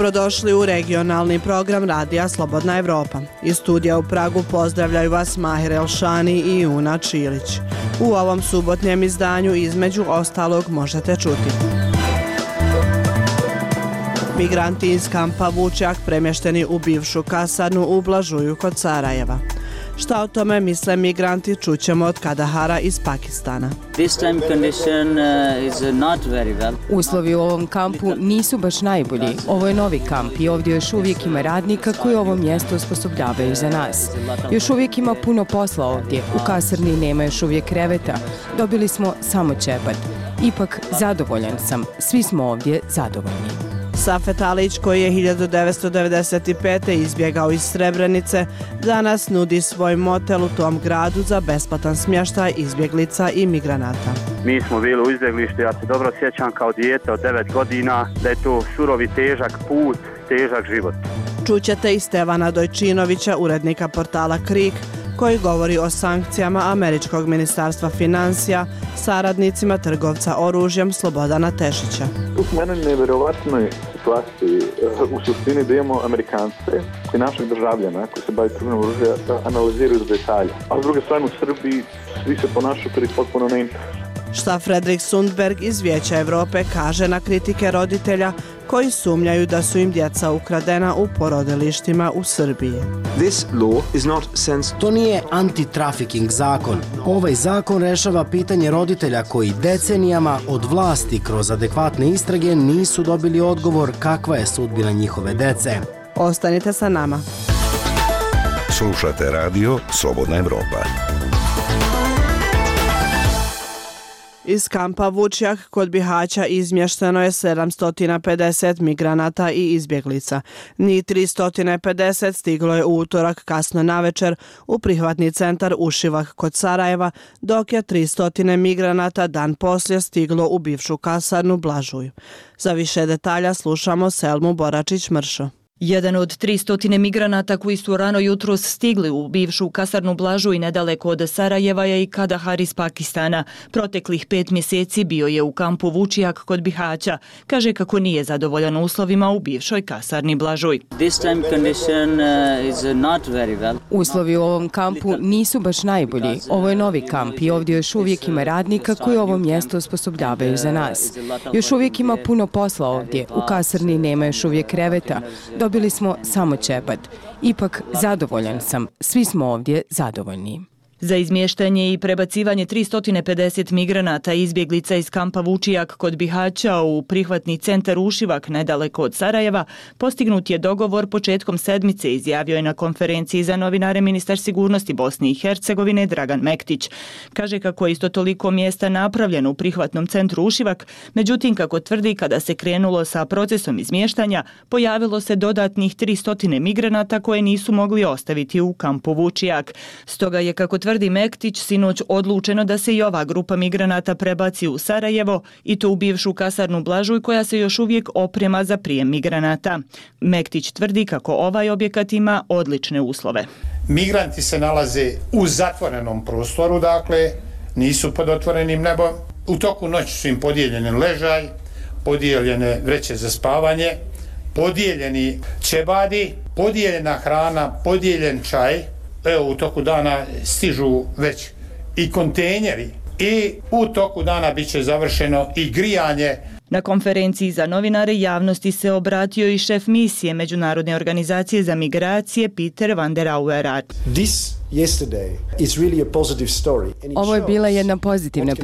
Dobrodošli u regionalni program Radija Slobodna Evropa. Iz studija u Pragu pozdravljaju vas Mahir Elšani i Una Čilić. U ovom subotnjem izdanju između ostalog možete čuti: migranti iz kampa Vučjak premješteni u bivšu kasarnu u Blažuju kod Sarajeva. Šta o tome misle migranti čućemo od Kadahara iz Pakistana. Uslovi u ovom kampu nisu baš najbolji. Ovo je novi kamp i ovdje još uvijek ima radnika koji ovo mjesto osposobljavaju za nas. Još uvijek ima puno posla ovdje. U kasarni nema još uvijek kreveta. Dobili smo samo ćepat. Ipak zadovoljan sam. Svi smo ovdje zadovoljni. Safet Alić, koji je 1995. izbjegao iz Srebrenice, danas nudi svoj motel u tom gradu za besplatan smještaj izbjeglica i migranata. Mi smo bili u izbjeglištu, ja se dobro sjećam kao dijete od 9 godina da je to surovi težak put, težak život. Čućete i Stevana Dojčinovića, urednika portala Krik, koji govori o sankcijama američkog ministarstva financija saradnicima trgovca oružjem Slobodana Tešića. Tu smo u jednoj nevjerovatnoj situaciji u suštini da imamo Amerikance koji naših državljana koji se bave trgovinom oružja analiziraju do detalja. A s druge strane u Srbiji svi se ponašaju kao potpuno neinteresantno. Šta Fredrik Sundberg iz Vijeća Evrope kaže na kritike roditelja koji sumnjaju da su im djeca ukradena u porodilištima u Srbiji. To nije anti-trafficking zakon. Ovaj zakon rešava pitanje roditelja koji decenijama od vlasti kroz adekvatne istrage nisu dobili odgovor kakva je sudbina njihove dece. Ostanite sa nama. Slušate radio Slobodna Evropa. Iz kampa Vučjak kod Bihaća izmješteno je 750 migranata i izbjeglica. Njih 350 stiglo je u utorak kasno navečer u prihvatni centar Ušivak kod Sarajeva, dok je 300 migranata dan poslije stiglo u bivšu kasarnu Blažuj. Za više detalja slušamo Selmu Boračić-Mršo. Jedan od 300 migranata koji su rano jutros stigli u bivšu kasarnu Blažuj nedaleko od Sarajeva je i Kadahar iz Pakistana. Proteklih 5 mjeseci bio je u kampu Vučjak kod Bihaća. Kaže kako nije zadovoljan uslovima u bivšoj kasarni Blažuj. Uslovi u ovom kampu nisu baš najbolji. Ovo je novi kamp i ovdje još uvijek ima radnika koji ovo mjesto osposobljavaju za nas. Još uvijek ima puno posla ovdje. U kasarni nema još uvijek kreveta. Dobili smo samo ćepat. Ipak zadovoljan sam. Svi smo ovdje zadovoljni. Za izmještanje i prebacivanje 350 migranata i izbjeglica iz kampa Vučjak kod Bihaća u prihvatni centar Ušivak nedaleko od Sarajeva postignut je dogovor početkom sedmice, izjavio je na konferenciji za novinare ministar sigurnosti Bosne i Hercegovine Dragan Mektić. Kaže kako je isto toliko mjesta napravljeno u prihvatnom centru Ušivak, međutim kako tvrdi kada se krenulo sa procesom izmještanja pojavilo se dodatnih 300 migranata koje nisu mogli ostaviti u kampu Vučjak. Stoga je, kako tvrdi Mektić, sinoć odlučeno da se i ova grupa migranata prebaci u Sarajevo i to u bivšu kasarnu Blažuj koja se još uvijek oprema za prijem migranata. Mektić tvrdi kako ovaj objekat ima odlične uslove. Migranti se nalaze u zatvorenom prostoru, dakle nisu pod otvorenim nebom. U toku noći su im podijeljeni ležaj, podijeljene vreće za spavanje, podijeljeni ćebadi, podijeljena hrana, podijeljen čaj. Evo, u toku dana stižu već i kontejneri i u toku dana bit će završeno i grijanje. Na konferenciji za novinare javnosti se obratio i šef misije Međunarodne organizacije za migracije Peter van der Auweraar. Ovo je bila jedna pozitivna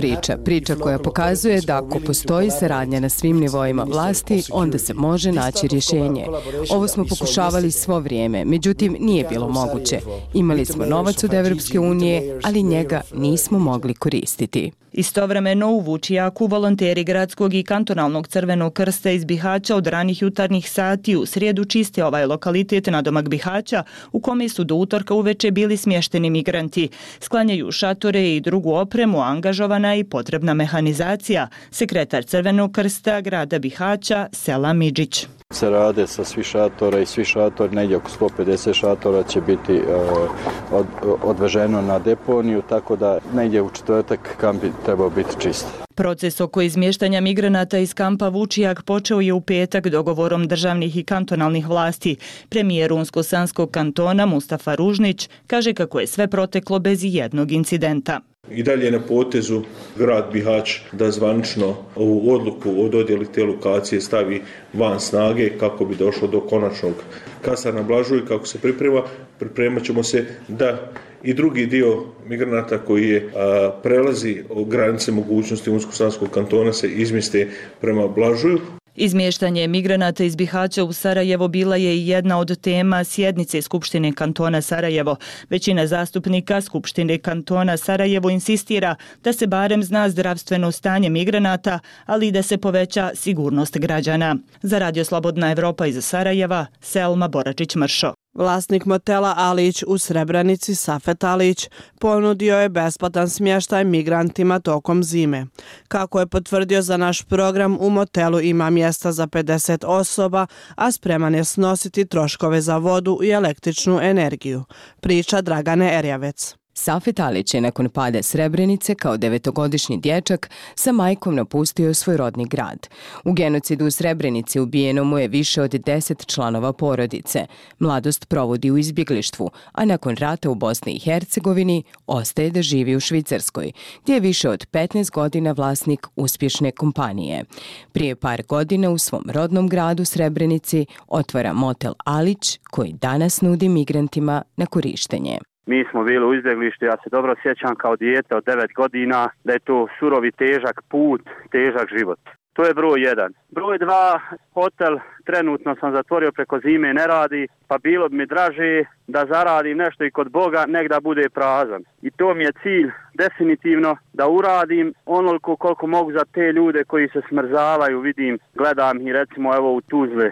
priča koja pokazuje da ako postoji saradnja na svim nivoima vlasti, onda se može naći rješenje. Ovo smo pokušavali svo vrijeme, međutim nije bilo moguće. Imali smo novac od Evropske unije, ali njega nismo mogli koristiti. Istovremeno u Vučjaku volonteri gradskog i kantonalnog Crvenog krsta iz Bihaća od ranih jutarnjih sati u srijedu čiste ovaj lokalitet nadomak Bihaća u kome su do utorka uveče bili smješteni migranti. Sklanjaju šatore i drugu opremu, angažovana i potrebna mehanizacija. Sekretar Crvenog krsta grada Bihaća Selam Midžić. Se rade sa svi šatora i svi šatori, negdje oko 150 šatora će biti odveženo na deponiju, tako da negdje u četvrtak kamp bi trebao biti čist. Proces oko izmještanja migranata iz kampa Vučijak počeo je u petak dogovorom državnih i kantonalnih vlasti. Premijer Unsko-Sanskog kantona Mustafa Ružnić kaže kako je sve proteklo bez jednog incidenta. I dalje na potezu grad Bihać da zvanično ovu odluku o dodjeli te lokacije stavi van snage kako bi došlo do konačnog kasa na Blažu i kako se pripremat ćemo se da i drugi dio migranata koji je prelazi granice mogućnosti Unsko-Sanskog kantona se izmjeste prema Blažuju. Izmještanje migranata iz Bihaća u Sarajevo bila je i jedna od tema sjednice Skupštine kantona Sarajevo. Većina zastupnika Skupštine kantona Sarajevo insistira da se barem zna zdravstveno stanje migranata, ali i da se poveća sigurnost građana. Za Radio Slobodna Evropa iz Sarajeva, Selma Boračić-Mršo. Vlasnik motela Alić u Srebrenici, Safet Alić, ponudio je besplatan smještaj migrantima tokom zime. Kako je potvrdio za naš program, u motelu ima mjesta za 50 osoba, a spreman je snositi troškove za vodu i električnu energiju. Priča Dragane Erjavec. Safet Alić je nakon pada Srebrenice kao 9-godišnji dječak sa majkom napustio svoj rodni grad. U genocidu u Srebrenici ubijeno mu je više od 10 članova porodice. Mladost provodi u izbjeglištvu, a nakon rata u Bosni i Hercegovini ostaje da živi u Švicarskoj, gdje je više od 15 godina vlasnik uspješne kompanije. Prije par godina u svom rodnom gradu Srebrenici otvara motel Alić, koji danas nudi migrantima na korištenje. Mi smo bili u izbjeglištu, ja se dobro sjećam kao dijete od 9 godina da je to surovi težak put, težak život. To je broj 1. Broj 2, hotel trenutno sam zatvorio preko zime, ne radi, pa bilo bi mi draže da zaradim nešto i kod Boga, nek da bude prazan. I to mi je cilj definitivno da uradim onoliko koliko mogu za te ljude koji se smrzavaju, vidim, gledam i recimo evo u Tuzli.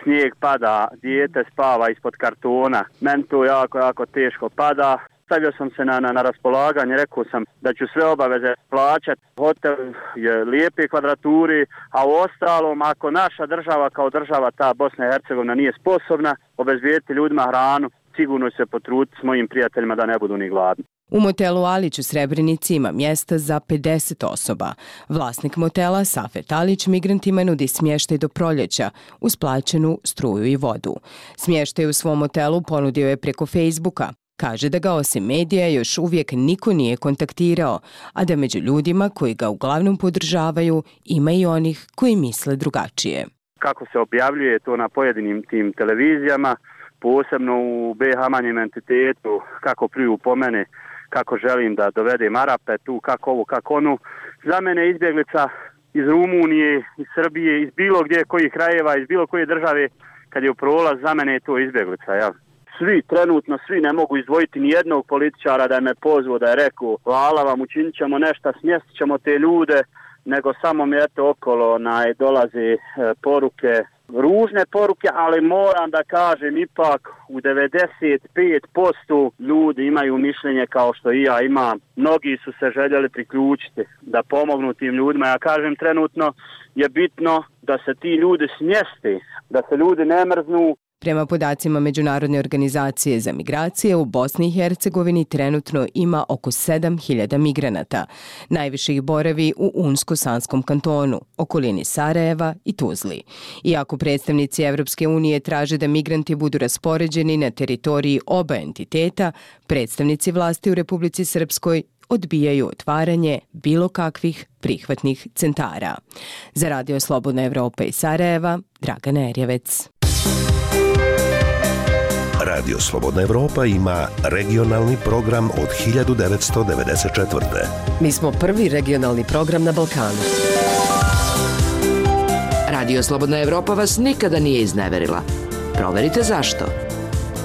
Snijeg pada, dijete spava ispod kartona, meni to jako teško pada. Stavio sam se na raspolaganje, rekao sam da ću sve obaveze plaćati. Hotel je lijepe kvadraturi, a u ostalom, ako naša država kao država, ta Bosna i Hercegovina, nije sposobna obezbijediti ljudima hranu, sigurno se potruditi s mojim prijateljima da ne budu ni gladni. U motelu Alić u Srebrenici ima mjesta za 50 osoba. Vlasnik motela Safet Alić migrantima nudi smještaj do proljeća uz plaćenu struju i vodu. Smještaj u svom motelu ponudio je preko Facebooka. Kaže da ga osim medija još uvijek niko nije kontaktirao, a da među ljudima koji ga uglavnom podržavaju ima i onih koji misle drugačije. Kako se objavljuje to na pojedinim tim televizijama, posebno u BiH manjem entitetu, kako pljuju po mene, kako želim da dovedem Arape tu, kako ovo, kako ono. Za mene izbjeglica iz Rumunije, iz Srbije, iz bilo gdje kojih krajeva, iz bilo koje države, kad je u prolaz, za mene je to izbjeglica, jel? Trenutno svi ne mogu izdvojiti ni jednog političara da je me pozvao, da je rekao hvala vam, učinit ćemo nešto, smjestit ćemo te ljude, nego samo mi eto okolo dolaze poruke, ružne poruke, ali moram da kažem ipak u 95% ljudi imaju mišljenje kao što i ja imam. Mnogi su se željeli priključiti da pomognu tim ljudima. Ja kažem trenutno je bitno da se ti ljudi smjeste, da se ljudi ne mrznu. Prema podacima Međunarodne organizacije za migracije, u Bosni i Hercegovini trenutno ima oko 7.000 migranata. Najviše ih boravi u Unsko-Sanskom kantonu, okolini Sarajeva i Tuzli. Iako predstavnici Evropske unije traže da migranti budu raspoređeni na teritoriji oba entiteta, predstavnici vlasti u Republici Srpskoj odbijaju otvaranje bilo kakvih prihvatnih centara. Za Radio Slobodna Evropa iz Sarajeva, Dragana Erjavec. Radio Slobodna Evropa ima regionalni program od 1994. Mi smo prvi regionalni program na Balkanu. Radio Slobodna Evropa vas nikada nije izneverila. Proverite zašto.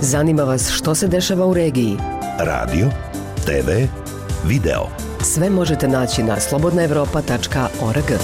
Zanima vas što se dešava u regiji. Radio, TV, video. Sve možete naći na slobodnaevropa.org.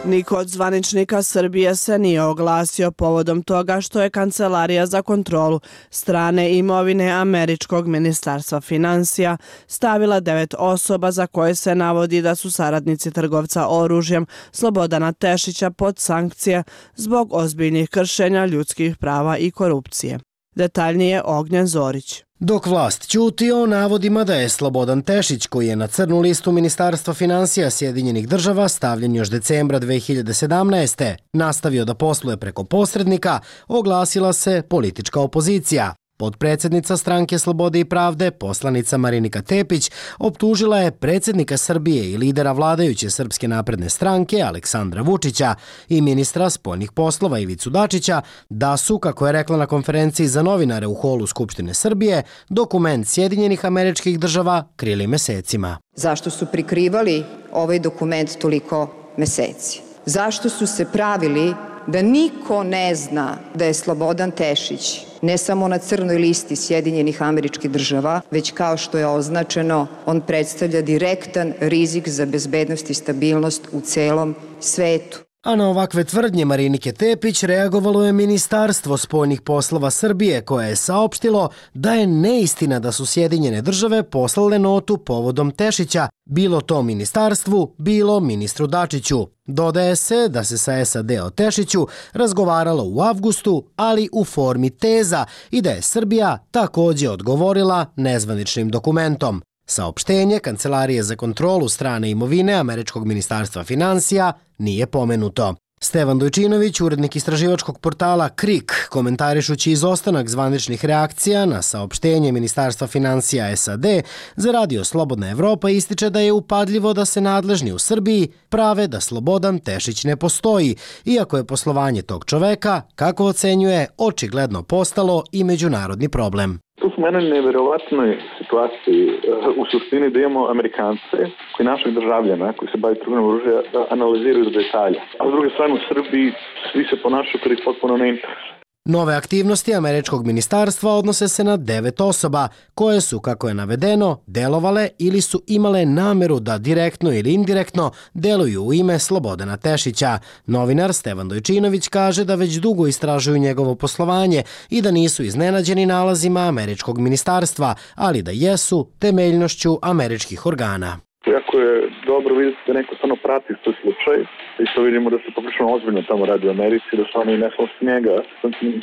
Niko od zvaničnika Srbije se nije oglasio povodom toga što je Kancelarija za kontrolu strane imovine američkog ministarstva financija stavila 9 osoba za koje se navodi da su saradnici trgovca oružjem Slobodana Tešića pod sankcije zbog ozbiljnih kršenja ljudskih prava i korupcije. Detaljnije Ognjen Zorić. Dok vlast ćuti o navodima da je Slobodan Tešić, koji je na crnu listu Ministarstva financija Sjedinjenih država stavljen još decembra 2017. nastavio da posluje preko posrednika, oglasila se politička opozicija. Potpredsjednica Stranke Slobode i pravde, poslanica Marinika Tepić, optužila je predsjednika Srbije i lidera vladajuće Srpske napredne stranke Aleksandra Vučića i ministra spoljnih poslova Ivicu Dačića da su, kako je rekla na konferenciji za novinare u holu Skupštine Srbije, dokument Sjedinjenih Američkih Država krili mesecima. Zašto su prikrivali ovaj dokument toliko meseci? Zašto su se pravili da niko ne zna da je Slobodan Tešić ne samo na crnoj listi Sjedinjenih Američkih Država, već kao što je označeno, on predstavlja direktan rizik za bezbednost i stabilnost u celom svetu. A na ovakve tvrdnje Marinike Tepić reagovalo je Ministarstvo spoljnih poslova Srbije, koje je saopštilo da je neistina da su Sjedinjene države poslale notu povodom Tešića, bilo to ministarstvu, bilo ministru Dačiću. Dodaje se da se sa SAD o Tešiću razgovaralo u avgustu, ali u formi teza i da je Srbija također odgovorila nezvaničnim dokumentom. Saopštenje Kancelarije za kontrolu strane imovine američkog ministarstva financija nije pomenuto. Stevan Dojčinović, urednik istraživačkog portala KRIK, komentarišući izostanak zvaničnih reakcija na saopštenje Ministarstva financija SAD za radio Slobodna Evropa, ističe da je upadljivo da se nadležni u Srbiji prave da Slobodan Tešić ne postoji, iako je poslovanje tog čoveka, kako ocenjuje, očigledno postalo i međunarodni problem. Tu smo u jednoj neverovatnoj situaciji u suštini da imamo Amerikance koji naših državljana koji se bave trgovinom oružja analiziraju do detalja. A s druge strane u Srbiji svi se ponašaju kao ih potpuno ne interesuje. Nove aktivnosti američkog ministarstva odnose se na 9 osoba koje su, kako je navedeno, delovale ili su imale nameru da direktno ili indirektno deluju u ime Slobodana Tešića. Novinar Stevan Dojčinović kaže da već dugo istražuju njegovo poslovanje i da nisu iznenađeni nalazima američkog ministarstva, ali da jesu temeljnošću američkih organa. Jako je dobro vidjeti da neko stvarno prati svoj slučaj i to vidimo da se poprilično ozbiljno tamo radi u Americi, da su oni ne samo s njega,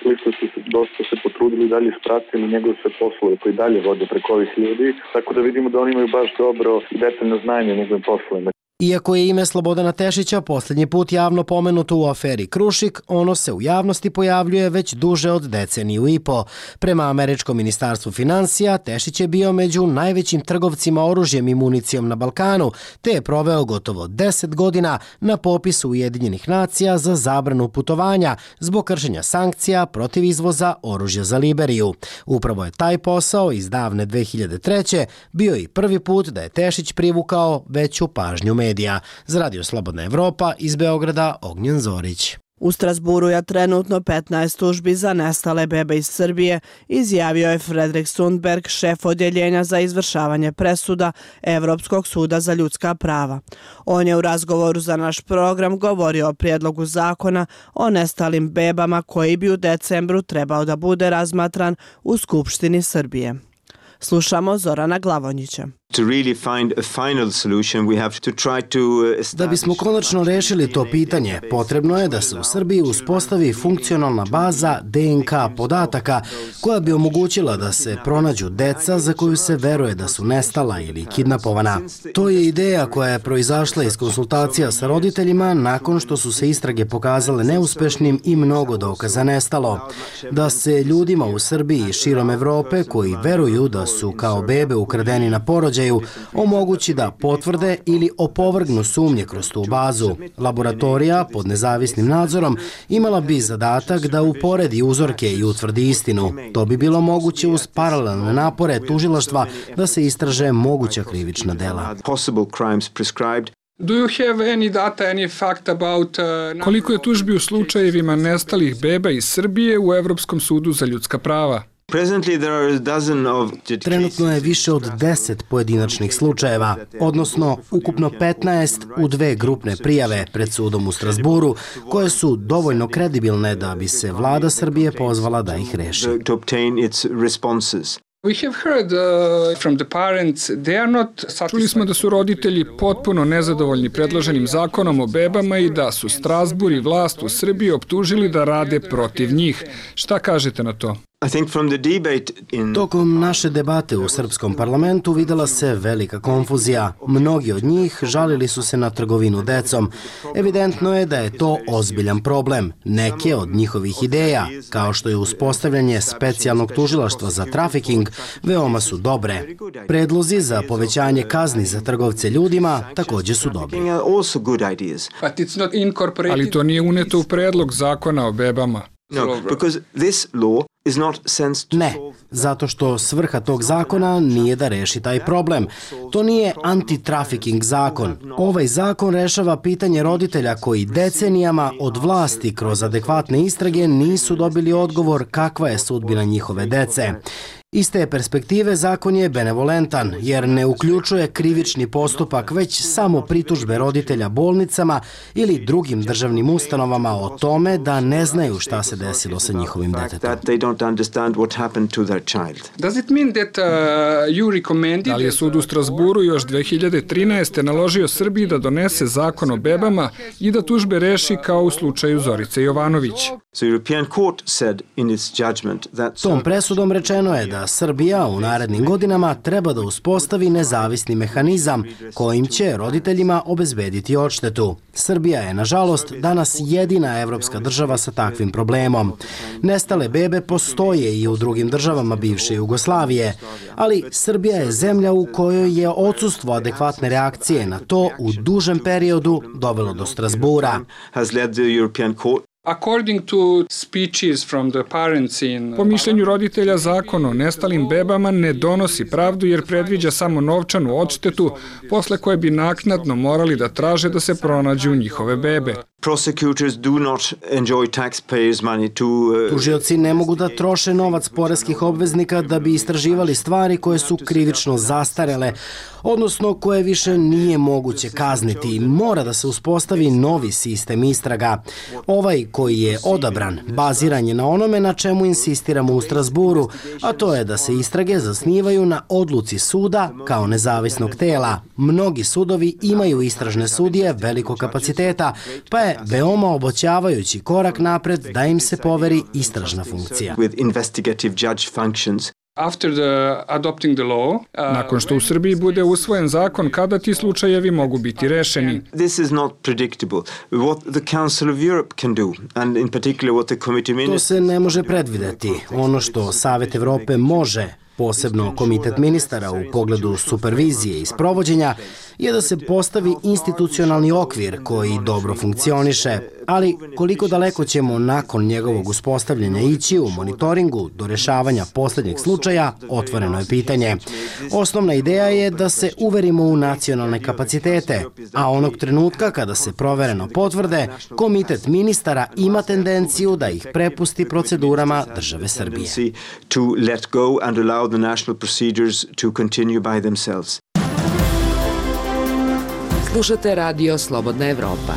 koliko su dosta se potrudili i dalje ispratili njegove sve poslove koji dalje vode preko ovih ljudi, tako da vidimo da oni imaju baš dobro i detaljno znanje o njegovim poslovima. Iako je ime Slobodana Tešića posljednji put javno pomenuto u aferi Krušik, ono se u javnosti pojavljuje već duže od deceniju i po. Prema američkom ministarstvu financija, Tešić je bio među najvećim trgovcima oružjem i municijom na Balkanu, te je proveo gotovo 10 godina na popisu Ujedinjenih nacija za zabranu putovanja zbog kršenja sankcija protiv izvoza oružja za Liberiju. Upravo je taj posao iz davne 2003. bio i prvi put da je Tešić privukao veću pažnju medija. Za radio Slobodna Evropa iz Beograda Ognjen Zorić. U Strasburu je trenutno 15 tužbi za nestale bebe iz Srbije, izjavio je Fredrik Sundberg, šef odjeljenja za izvršavanje presuda Evropskog suda za ljudska prava. On je u razgovoru za naš program govorio o prijedlogu zakona o nestalim bebama koji bi u decembru trebao da bude razmatran u Skupštini Srbije. Slušamo Zorana Glavonjića. Da bismo konačno rešili to pitanje, potrebno je da se u Srbiji uspostavi funkcionalna baza DNK podataka koja bi omogućila da se pronađu deca za koju se veruje da su nestala ili kidnapovana. To je ideja koja je proizašla iz konsultacija sa roditeljima nakon što su se istrage pokazale neuspešnim i mnogo dokaza nestalo. Da se ljudima u Srbiji i širom Evrope koji veruju da su kao bebe ukradeni na porođaju omogući da potvrde ili opovrgnu sumnje kroz tu bazu. Laboratorija pod nezavisnim nadzorom imala bi zadatak da uporedi uzorke i utvrdi istinu. To bi bilo moguće uz paralelne napore tužilaštva da se istraže moguća krivična dela. Koliko je tužbi u slučajevima nestalih beba iz Srbije u Evropskom sudu za ljudska prava? Trenutno je više od 10 pojedinačnih slučajeva, odnosno ukupno 15 u 2 grupne prijave pred sudom u Strasburu, koje su dovoljno kredibilne da bi se vlada Srbije pozvala da ih reši. Čuli smo da su roditelji potpuno nezadovoljni predloženim zakonom o bebama i da su Strasbur i vlast u Srbiji optužili da rade protiv njih. Šta kažete na to? Tokom naše debate u srpskom parlamentu videla se velika konfuzija. Mnogi od njih žalili su se na trgovinu decom. Evidentno je da je to ozbiljan problem. Neke od njihovih ideja, kao što je uspostavljanje specijalnog tužilaštva za trafiking, veoma su dobre. Predlozi za povećanje kazni za trgovce ljudima također su dobri. Ali to nije uneto u predlog zakona o bebama. Ne, zato što svrha tog zakona nije da reši taj problem. To nije anti-trafficking zakon. Ovaj zakon rešava pitanje roditelja koji decenijama od vlasti kroz adekvatne istrage nisu dobili odgovor kakva je sudbina njihove dece. Iz te perspektive zakon je benevolentan, jer ne uključuje krivični postupak, već samo pritužbe roditelja bolnicama ili drugim državnim ustanovama o tome da ne znaju šta se desilo sa njihovim detetom. Da li je sud u Strasburu još 2013. naložio Srbiji da donese zakon o bebama i da tužbe reši kao u slučaju Zorice Jovanović? Tom presudom rečeno je da Srbija u narednim godinama treba da uspostavi nezavisni mehanizam kojim će roditeljima obezbediti odštetu. Srbija je, nažalost, danas jedina evropska država sa takvim problemom. Nestale bebe postoje i u drugim državama bivše Jugoslavije, ali Srbija je zemlja u kojoj je odsustvo adekvatne reakcije na to u dužem periodu dovelo do Strasbura. Po mišljenju roditelja, zakon o nestalim bebama ne donosi pravdu jer predviđa samo novčanu odštetu, posle koje bi naknadno morali da traže da se pronađu njihove bebe. Tužioci ne mogu da troše novac poreskih obveznika da bi istraživali stvari koje su krivično zastarele, odnosno koje više nije moguće kazniti. Mora da se uspostavi novi sistem istraga. Ovaj koji je odabran baziran je na onome na čemu insistiramo u Strasburu, a to je da se istrage zasnivaju na odluci suda kao nezavisnog tela. Mnogi sudovi imaju istražne sudije velikog kapaciteta, pa je veoma obećavajući korak napred da im se poveri istražna funkcija. Nakon što u Srbiji bude usvojen zakon, kada ti slučajevi mogu biti rešeni? To se ne može predvideti. Ono što Savet Evrope može, posebno Komitet ministara u pogledu supervizije i sprovođenja, je da se postavi institucionalni okvir koji dobro funkcioniše, ali koliko daleko ćemo nakon njegovog uspostavljanja ići u monitoringu do rešavanja poslednjeg slučaja, otvoreno je pitanje. Osnovna ideja je da se uverimo u nacionalne kapacitete, a onog trenutka kada se provereno potvrde, Komitet ministara ima tendenciju da ih prepusti procedurama države Srbije. Slušate Radio Slobodna Evropa.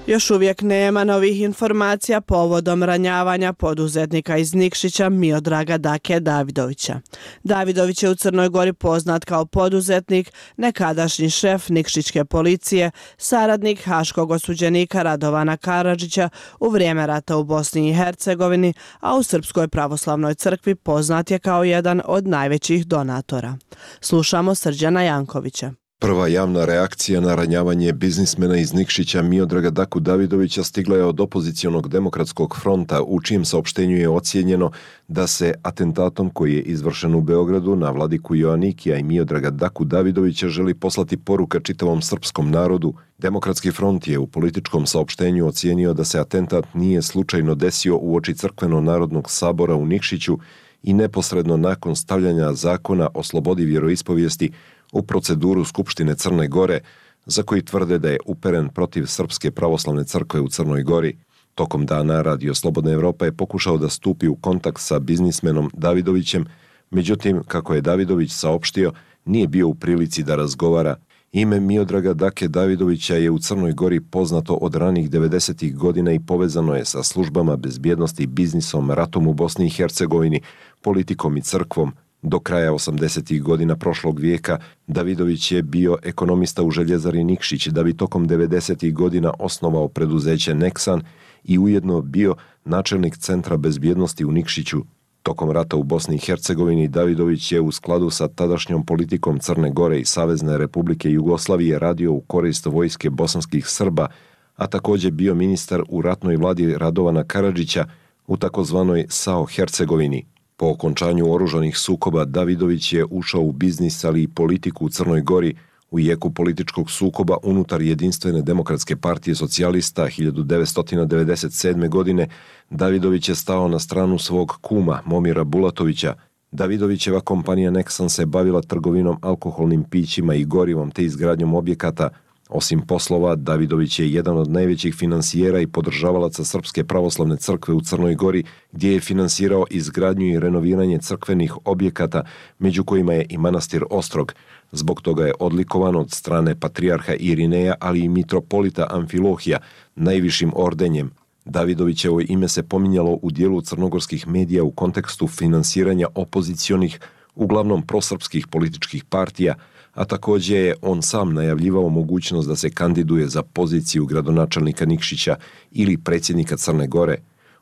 Još uvijek nema novih informacija povodom ranjavanja poduzetnika iz Nikšića Miodraga Dake Davidovića. Davidović je u Crnoj Gori poznat kao poduzetnik, nekadašnji šef Nikšićke policije, saradnik haškog osuđenika Radovana Karadžića u vrijeme rata u Bosni i Hercegovini, a u Srpskoj pravoslavnoj crkvi poznat je kao jedan od najvećih donatora. Slušamo Srđana Jankovića. Prva javna reakcija na ranjavanje biznismena iz Nikšića Miodraga Daku Davidovića stigla je od opozicionog demokratskog fronta, u čijem saopštenju je ocijenjeno da se atentatom koji je izvršen u Beogradu na vladiku Joanikija i Miodraga Daku Davidovića želi poslati poruka čitavom srpskom narodu. Demokratski front je u političkom saopštenju ocijenio da se atentat nije slučajno desio uoči Crkveno-narodnog sabora u Nikšiću i neposredno nakon stavljanja zakona o slobodi vjeroispovijesti u proceduru Skupštine Crne Gore, za koji tvrde da je uperen protiv Srpske pravoslavne crkve u Crnoj Gori. Tokom dana Radio Slobodna Evropa je pokušao da stupi u kontakt sa biznismenom Davidovićem, međutim, kako je Davidović saopštio, nije bio u prilici da razgovara. Ime Miodraga Dake Davidovića je u Crnoj Gori poznato od ranih 90. godina i povezano je sa službama bezbjednosti, biznisom, ratom u Bosni i Hercegovini, politikom i crkvom. Do kraja 80. godina prošlog vijeka Davidović je bio ekonomista u željezari Nikšić, da bi tokom 90. godina osnovao preduzeće Nexan i ujedno bio načelnik Centra bezbjednosti u Nikšiću. Tokom rata u Bosni i Hercegovini Davidović je u skladu sa tadašnjom politikom Crne Gore i Savezne Republike Jugoslavije radio u korist vojske bosanskih Srba, a također bio ministar u ratnoj vladi Radovana Karadžića u takozvanoj SAO Hercegovini. Po okončanju oružanih sukoba Davidović je ušao u biznis, ali i politiku u Crnoj Gori. U jeku političkog sukoba unutar Jedinstvene demokratske partije socijalista 1997. godine Davidović je stao na stranu svog kuma Momira Bulatovića. Davidovićeva kompanija Nexan se bavila trgovinom alkoholnim pićima i gorivom te izgradnjom objekata. Osim poslova, Davidović je jedan od najvećih finansijera i podržavalaca Srpske pravoslavne crkve u Crnoj Gori, gdje je finansirao izgradnju i renoviranje crkvenih objekata, među kojima je i manastir Ostrog. Zbog toga je odlikovan od strane patrijarha Irineja, ali i mitropolita Amfilohija, najvišim ordenjem. Davidovićevo ime se pominjalo u dijelu crnogorskih medija u kontekstu finansiranja opozicionih, uglavnom prosrpskih političkih partija, a također je on sam najavljivao mogućnost da se kandiduje za poziciju gradonačelnika Nikšića ili predsjednika Crne Gore.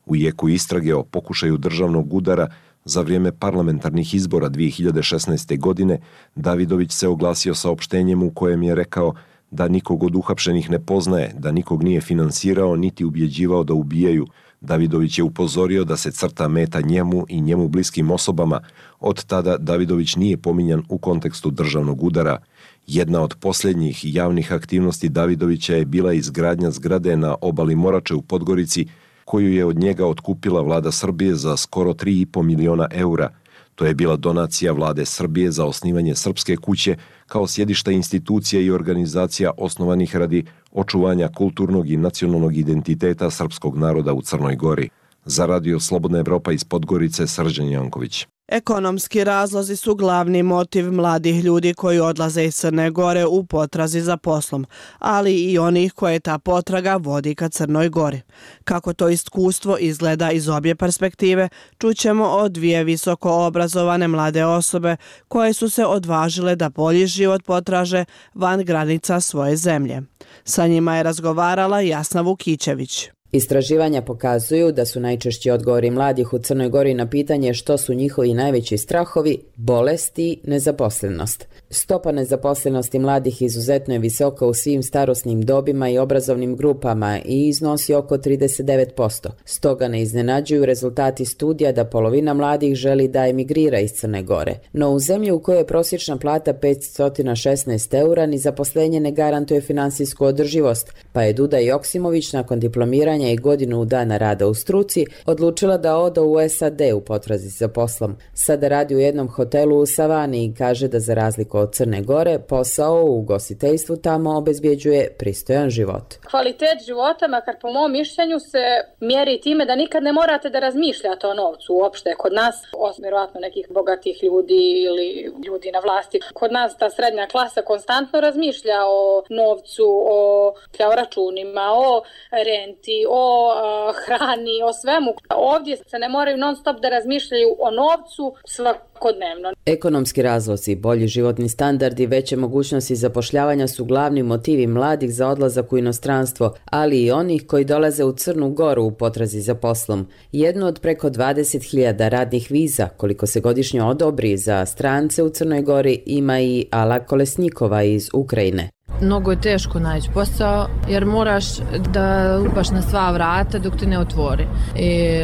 U jeku istrage o pokušaju državnog udara za vrijeme parlamentarnih izbora 2016. godine Davidović se oglasio saopštenjem u kojem je rekao da nikog od uhapšenih ne poznaje, da nikog nije finansirao niti ubjeđivao da ubijaju. Davidović je upozorio da se crta meta njemu i njemu bliskim osobama. Od tada Davidović nije pominjan u kontekstu državnog udara. Jedna od posljednjih javnih aktivnosti Davidovića je bila izgradnja zgrade na obali Morače u Podgorici, koju je od njega otkupila vlada Srbije za skoro 3,5 miliona eura. To je bila donacija vlade Srbije za osnivanje Srpske kuće kao sjedišta institucija i organizacija osnovanih radi očuvanja kulturnog i nacionalnog identiteta srpskog naroda u Crnoj Gori. Za Radio Slobodna Evropa iz Podgorice, Srđan Janković. Ekonomski razlozi su glavni motiv mladih ljudi koji odlaze iz Crne Gore u potrazi za poslom, ali i onih koje ta potraga vodi ka Crnoj Gori. Kako to iskustvo izgleda iz obje perspektive, čućemo od dvije visoko obrazovane mlade osobe koje su se odvažile da bolji život potraže van granica svoje zemlje. Sa njima je razgovarala Jasna Vukićević. Istraživanja pokazuju da su najčešći odgovori mladih u Crnoj Gori na pitanje što su njihovi najveći strahovi, bolest i nezaposlenost. Stopa nezaposlenosti mladih izuzetno je visoka u svim starosnim dobima i obrazovnim grupama i iznosi oko 39%. Stoga ne iznenađuju rezultati studija da polovina mladih želi da emigrira iz Crne Gore. No u zemlji u kojoj je prosječna plata 516 eura ni zaposlenje ne garantuje finansijsku održivost, pa je Duda Joksimović nakon diplomiranja i godinu dana rada u struci odlučila da ode u SAD u potrazi za poslom. Sada radi u jednom hotelu u Savani i kaže da za razliku od Crne Gore posao u ugostiteljstvu tamo obezbjeđuje pristojan život. Kvalitet života, makar po mom mišljenju, se mjeri time da nikad ne morate da razmišljate o novcu uopšte. Kod nas, osim vjerovatno nekih bogatih ljudi ili ljudi na vlasti, kod nas ta srednja klasa konstantno razmišlja o novcu, o računima, o renti, o hrani, o svemu. Ovdje se ne moraju non stop da razmišljaju o novcu svakodnevno. Ekonomski razlozi, bolji životni standard i veće mogućnosti zapošljavanja su glavni motivi mladih za odlazak u inostranstvo, ali i onih koji dolaze u Crnu Goru u potrazi za poslom. Jednu od preko 20.000 radnih viza, koliko se godišnje odobri za strance u Crnoj Gori, ima i Ala Kolesnikova iz Ukrajine. Mnogo je teško naći posao jer moraš da lupaš na sva vrata dok te ne otvori. I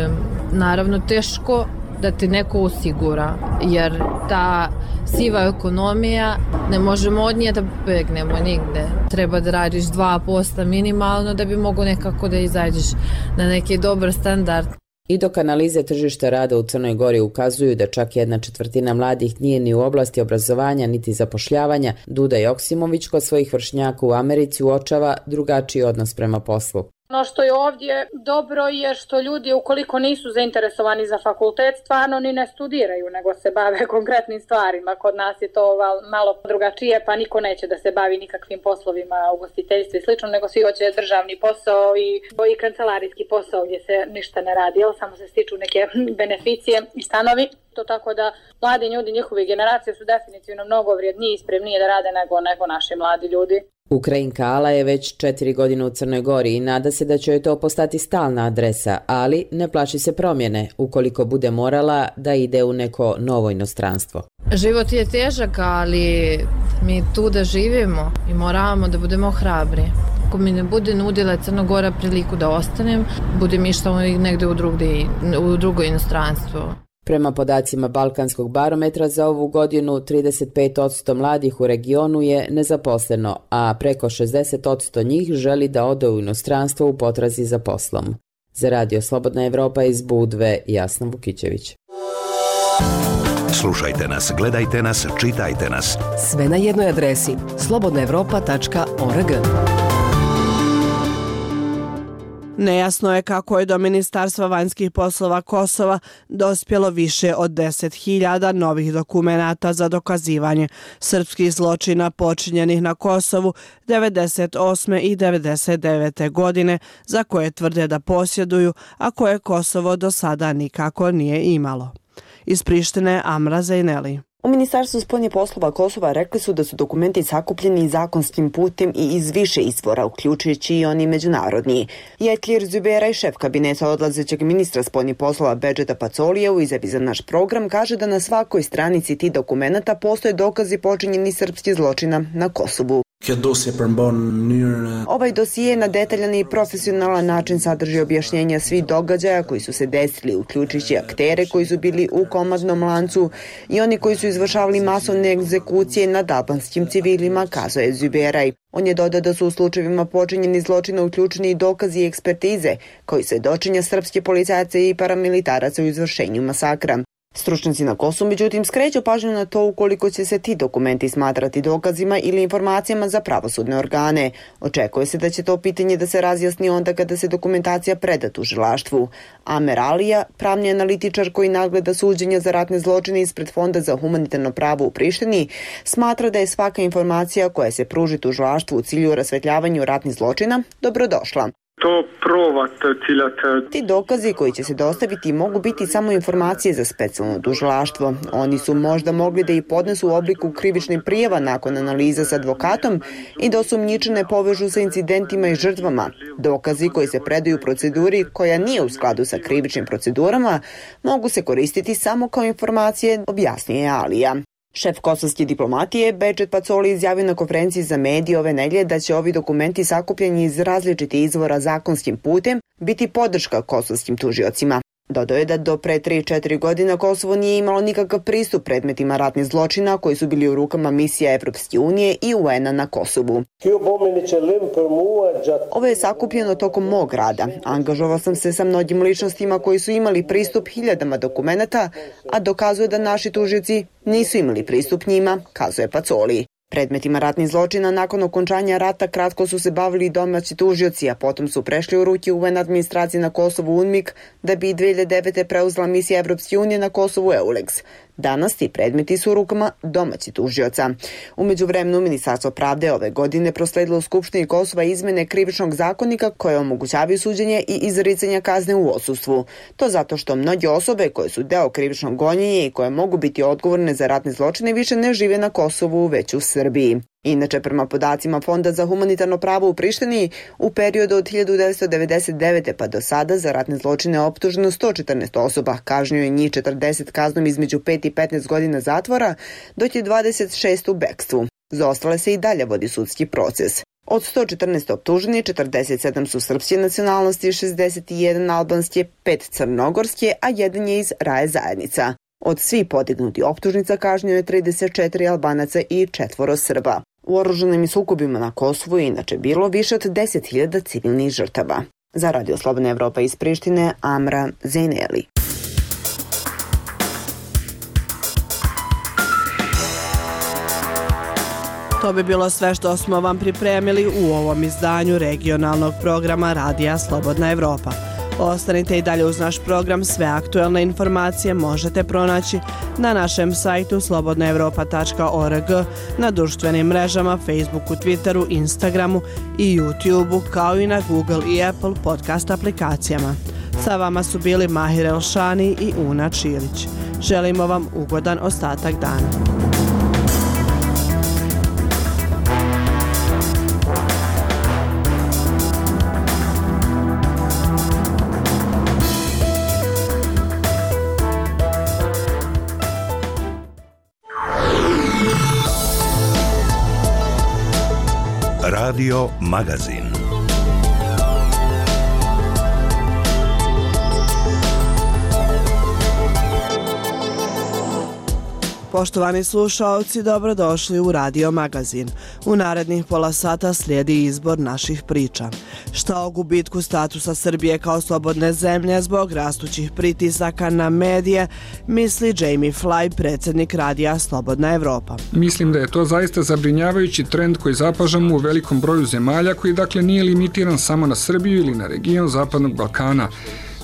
naravno teško da te neko osigura jer ta siva ekonomija ne možemo od nje da begnemo nigde. Treba da radiš 2% minimalno da bi mogo nekako da izađeš na neki dobar standard. I dok analize tržišta rada u Crnoj Gori ukazuju da čak 1/4 mladih nije ni u oblasti obrazovanja niti zapošljavanja, Duda Joksimović kod svojih vršnjaka u Americi uočava drugačiji odnos prema poslu. Ono što je ovdje dobro je što ljudi ukoliko nisu zainteresovani za fakultet stvarno ni ne studiraju nego se bave konkretnim stvarima. Kod nas je to malo drugačije pa niko neće da se bavi nikakvim poslovima ugostiteljstva i slično nego svi hoće državni posao i kancelarijski posao gdje se ništa ne radi, samo se stiču neke beneficije i stanovi. To tako da mladi ljudi, njihove generacije su definitivno mnogo vrijedniji i spremnije da rade nego naši mladi ljudi. Ukrajinka Ala je već 4 godine u Crnoj Gori i nada se da će joj to postati stalna adresa, ali ne plaši se promjene ukoliko bude morala da ide u neko novo inostranstvo. Život je težak, ali mi tu da živimo i moramo da budemo hrabri. Ako mi ne bude nudila Crna Gora priliku da ostanem, budem išla negde u drugo inostranstvo. Prema podacima Balkanskog barometra za ovu godinu 35% mladih u regionu je nezaposleno, a preko 60% njih želi da ode u inostranstvo u potrazi za poslom. Za Radio Slobodna Evropa iz Budve, Jasna Vukićević. Slušajte nas, gledajte nas, čitajte nas. Sve na jednoj adresi slobodnaevropa.org. Nejasno je kako je do Ministarstva vanjskih poslova Kosova dospjelo više od 10.000 novih dokumenata za dokazivanje srpskih zločina počinjenih na Kosovu 98. i 99. godine za koje tvrde da posjeduju, a koje Kosovo do sada nikako nije imalo. Iz Prištine Amra Zejneli. U Ministarstvu spoljnih poslova Kosova rekli su da su dokumenti sakupljeni zakonskim putem i iz više izvora, uključujući i oni međunarodni. Jetlir Züberaj, šef kabineta odlazećeg ministra spoljnih poslova Bedžeta Pacolija, u izjavi za naš program kaže da na svakoj stranici tih dokumenata postoje dokazi počinjenih srpskih zločina na Kosovu. Ovaj dosije na detaljan i profesionalan način sadrži objašnjenja svih događaja koji su se desili, uključujući aktere koji su bili u komadnom lancu i oni koji su izvršavali masovne egzekucije nad albanskim civilima, kazuje Züberaj. On je dodao da su u slučajevima počinjeni zločina uključeni i dokazi i ekspertize koji svedočenja srpske policajce i paramilitaraca u izvršenju masakra. Stručnjaci na Kosovu, međutim, skreću pažnju na to ukoliko će se ti dokumenti smatrati dokazima ili informacijama za pravosudne organe. Očekuje se da će to pitanje da se razjasni onda kada se dokumentacija preda tužilaštvu. Amer Alija, pravni analitičar koji nadgleda suđenja za ratne zločine ispred Fonda za humanitarno pravo u Prištini, smatra da je svaka informacija koja se pruži tužilaštvu u cilju rasvetljavanju ratnih zločina dobrodošla. Ti dokazi koji će se dostaviti mogu biti samo informacije za specijalno tužilaštvo. Oni su možda mogli da ih podnesu u obliku krivičnih prijava nakon analiza s advokatom i da osumnjičene povežu sa incidentima i žrtvama. Dokazi koji se predaju u proceduri koja nije u skladu sa krivičnim procedurama mogu se koristiti samo kao informacije, objasnije Alija. Šef kosovske diplomatije Bedžet Pacoli izjavio na konferenciji za medije ove nedelje da će ovi dokumenti sakupljeni iz različitih izvora zakonskim putem biti podrška kosovskim tužiocima. Dodao je da do pre 3-4 godina Kosovo nije imalo nikakav pristup predmetima ratnih zločina koji su bili u rukama misija Evropske unije i UN-a na Kosovu. Ovo je sakupljeno tokom mog rada. Angažovao sam se sa mnogim ličnostima koji su imali pristup hiljadama dokumenata, a dokazuje da naši tužioci nisu imali pristup njima, kazuje Pacoli. Predmetima ratnih zločina nakon okončanja rata kratko su se bavili domaći tužioci, a potom su prešli u ruke UN administracije na Kosovu UNMIK, da bi 2009. preuzela misija Evropske unije na Kosovu EULEX. Danas ti predmeti su u rukama domaćih tužioca. U međuvremenu Ministarstvo pravde ove godine prosledilo u Skupštini Kosova izmene krivičnog zakonika koje omogućavaju suđenje i izricanje kazne u odsustvu. To zato što mnoge osobe koje su deo krivičnog gonjenja i koje mogu biti odgovorne za ratne zločine više ne žive na Kosovu, već u Srbiji. Inače, prema podacima Fonda za humanitarno pravo u Prištini, u periodu od 1999. pa do sada za ratne zločine optuženo 114 osoba, kažnjeno je njih 40 kaznom između 5 i 15 godina zatvora, dok je 26 u bekstvu. Za ostale se i dalje vodi sudski proces. Od 114 optuženih, 47 su srpske nacionalnosti, 61 albanske, 5 crnogorske, a jedan je iz Raje zajednica. Od svih podignuti optužnica kažnjeno je 34 Albanaca i 4 Srba. U oružanim sukobima na Kosovu je inače bilo više od 10.000 civilnih žrtava. Za Radio Slobodna Evropa iz Prištine, Amra Zejneli. To bi bilo sve što smo vam pripremili u ovom izdanju regionalnog programa Radija Slobodna Evropa. Ostanite i dalje uz naš program, sve aktuelne informacije možete pronaći na našem sajtu slobodnaevropa.org, na društvenim mrežama, Facebooku, Twitteru, Instagramu i YouTubeu, kao i na Google i Apple podcast aplikacijama. Sa vama su bili Mahir Elšani i Una Čilić. Želimo vam ugodan ostatak dana. Radio Magazin. Poštovani slušaoci, dobrodošli u Radio Magazin. U narednih pola sata slijedi izbor naših priča. Šta o gubitku statusa Srbije kao slobodne zemlje zbog rastućih pritisaka na medije misli Jamie Fly, predsjednik Radija Slobodna Evropa. Mislim da je to zaista zabrinjavajući trend koji zapažamo u velikom broju zemalja, koji dakle nije limitiran samo na Srbiju ili na region Zapadnog Balkana.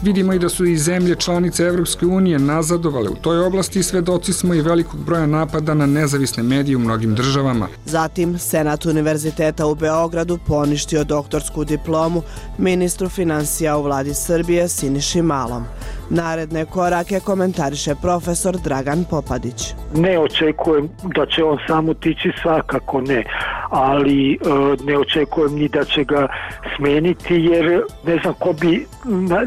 Vidimo i da su i zemlje članice Evropske unije nazadovale u toj oblasti i svedoci smo i velikog broja napada na nezavisne medije u mnogim državama. Zatim, Senat Univerziteta u Beogradu poništio doktorsku diplomu ministru financija u vladi Srbije Siniši Malom. Naredne korake komentariše profesor Dragan Popadić. Ne očekujem da će on sam otići, svakako ne, ali ne očekujem ni da će ga smeniti, jer ne znam ko bi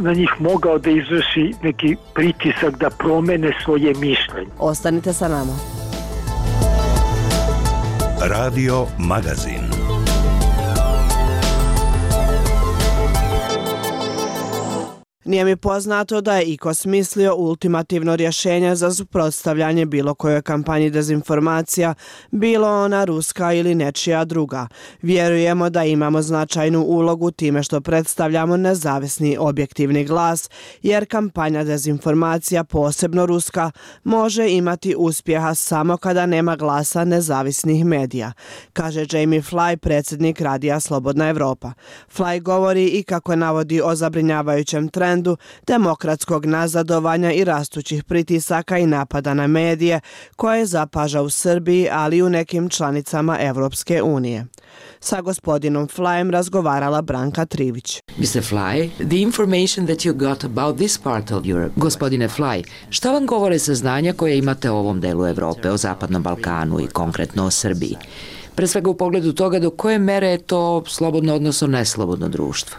na njih mogao da izvrši neki pritisak da promene svoje mišljenje. Ostanite sa nama. Radio Magazin. Nije mi poznato da je iko smislio ultimativno rješenje za suprotstavljanje bilo kojoj kampanji dezinformacija, bilo ona ruska ili nečija druga. Vjerujemo da imamo značajnu ulogu time što predstavljamo nezavisni objektivni glas, jer kampanja dezinformacija, posebno ruska, može imati uspjeha samo kada nema glasa nezavisnih medija, kaže Jamie Fly, predsjednik Radija Slobodna Evropa. Fly govori i kako navodi o zabrinjavajućem trendu demokratskog nazadovanja i rastućih pritisaka i napada na medije koje zapaža u Srbiji, ali i u nekim članicama Evropske unije. Sa gospodinom Flyem razgovarala Branka Trivić. Mr. Fly, the information that you got about this part of Europe. Gospodine Fly, šta vam govore saznanja koje imate o ovom delu Evrope, o Zapadnom Balkanu i konkretno o Srbiji? Pre svega u pogledu toga do koje mere je to slobodno, odnosno neslobodno društvo.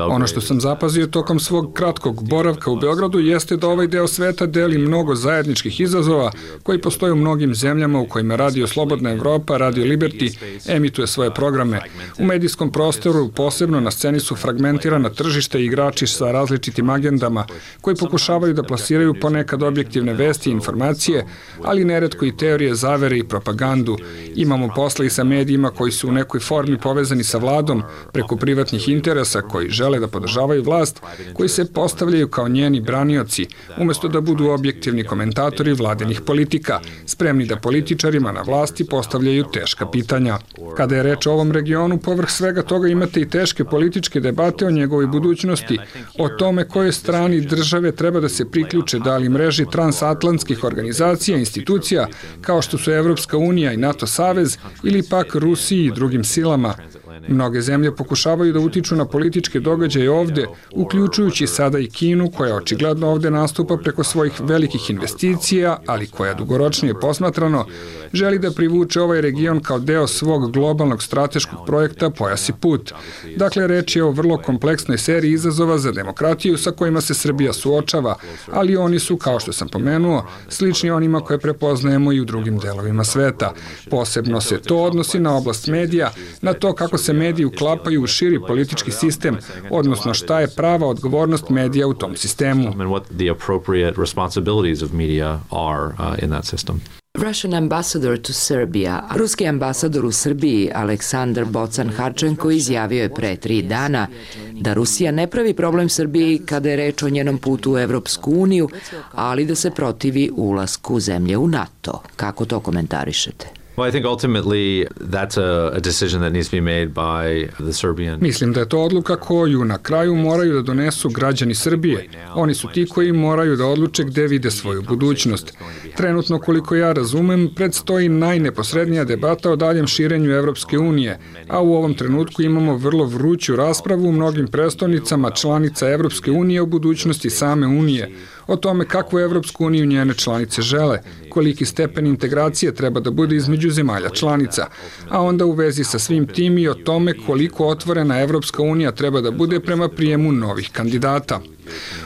Ono što sam zapazio tokom svog kratkog boravka u Beogradu jeste da ovaj deo sveta deli mnogo zajedničkih izazova koji postoje u mnogim zemljama u kojima Radio Slobodna Evropa, Radio Liberty emituje svoje programe. U medijskom prostoru posebno na sceni su fragmentirana tržišta i igrači sa različitim agendama koji pokušavaju da plasiraju ponekad objektivne vesti i informacije, ali neretko i teorije zavere i propagandu. Imamo posla i sa medijima koji su u nekoj formi povezani sa vladom preko privatnih interesa koji žele da podržavaju vlast, koji se postavljaju kao njeni branioci, umjesto da budu objektivni komentatori vladinih politika, spremni da političarima na vlasti postavljaju teška pitanja. Kada je reč o ovom regionu, povrh svega toga imate i teške političke debate o njegovoj budućnosti, o tome kojoj strani države treba da se priključe, da li mreži transatlantskih organizacija, institucija, kao što su Evropska unija i NATO savez, ili pak Rusiji i drugim silama. Mnoge zemlje pokušavaju da utiču na političke događaje ovde, uključujući sada i Kinu, koja očigledno ovde nastupa preko svojih velikih investicija, ali koja dugoročnije posmatrano želi da privuče ovaj region kao deo svog globalnog strateškog projekta Pojas i put. Dakle, reč je o vrlo kompleksnoj seriji izazova za demokratiju sa kojima se Srbija suočava, ali oni su, kao što sam pomenuo, slični onima koje prepoznajemo i u drugim delovima sveta. Posebno se to odnosi na oblast medija, na to kako se mediji uklapaju u širi politički sistem, odnosno šta je prava odgovornost medija u tom sistemu. Russian ambassador to Serbia. Ruski ambasador u Srbiji Aleksandar Bocan-Harčenko izjavio je pre 3 dana da Rusija ne pravi problem Srbiji kada je reč o njenom putu u Evropsku uniju, ali da se protivi ulasku zemlje u NATO. Kako to komentarišete? Mislim da je to odluka koju na kraju moraju da donesu građani Srbije. Oni su ti koji moraju da odluče gde vide svoju budućnost. Trenutno, koliko ja razumem, predstoji najneposrednija debata o daljem širenju Evropske unije, a u ovom trenutku imamo vrlo vruću raspravu u mnogim prestolnicama članica Evropske unije o budućnosti same unije, o tome kakvu Evropsku uniju njene članice žele, koliki stepen integracije treba da bude između zemalja članica, a onda u vezi sa svim tim i o tome koliko otvorena Evropska unija treba da bude prema prijemu novih kandidata.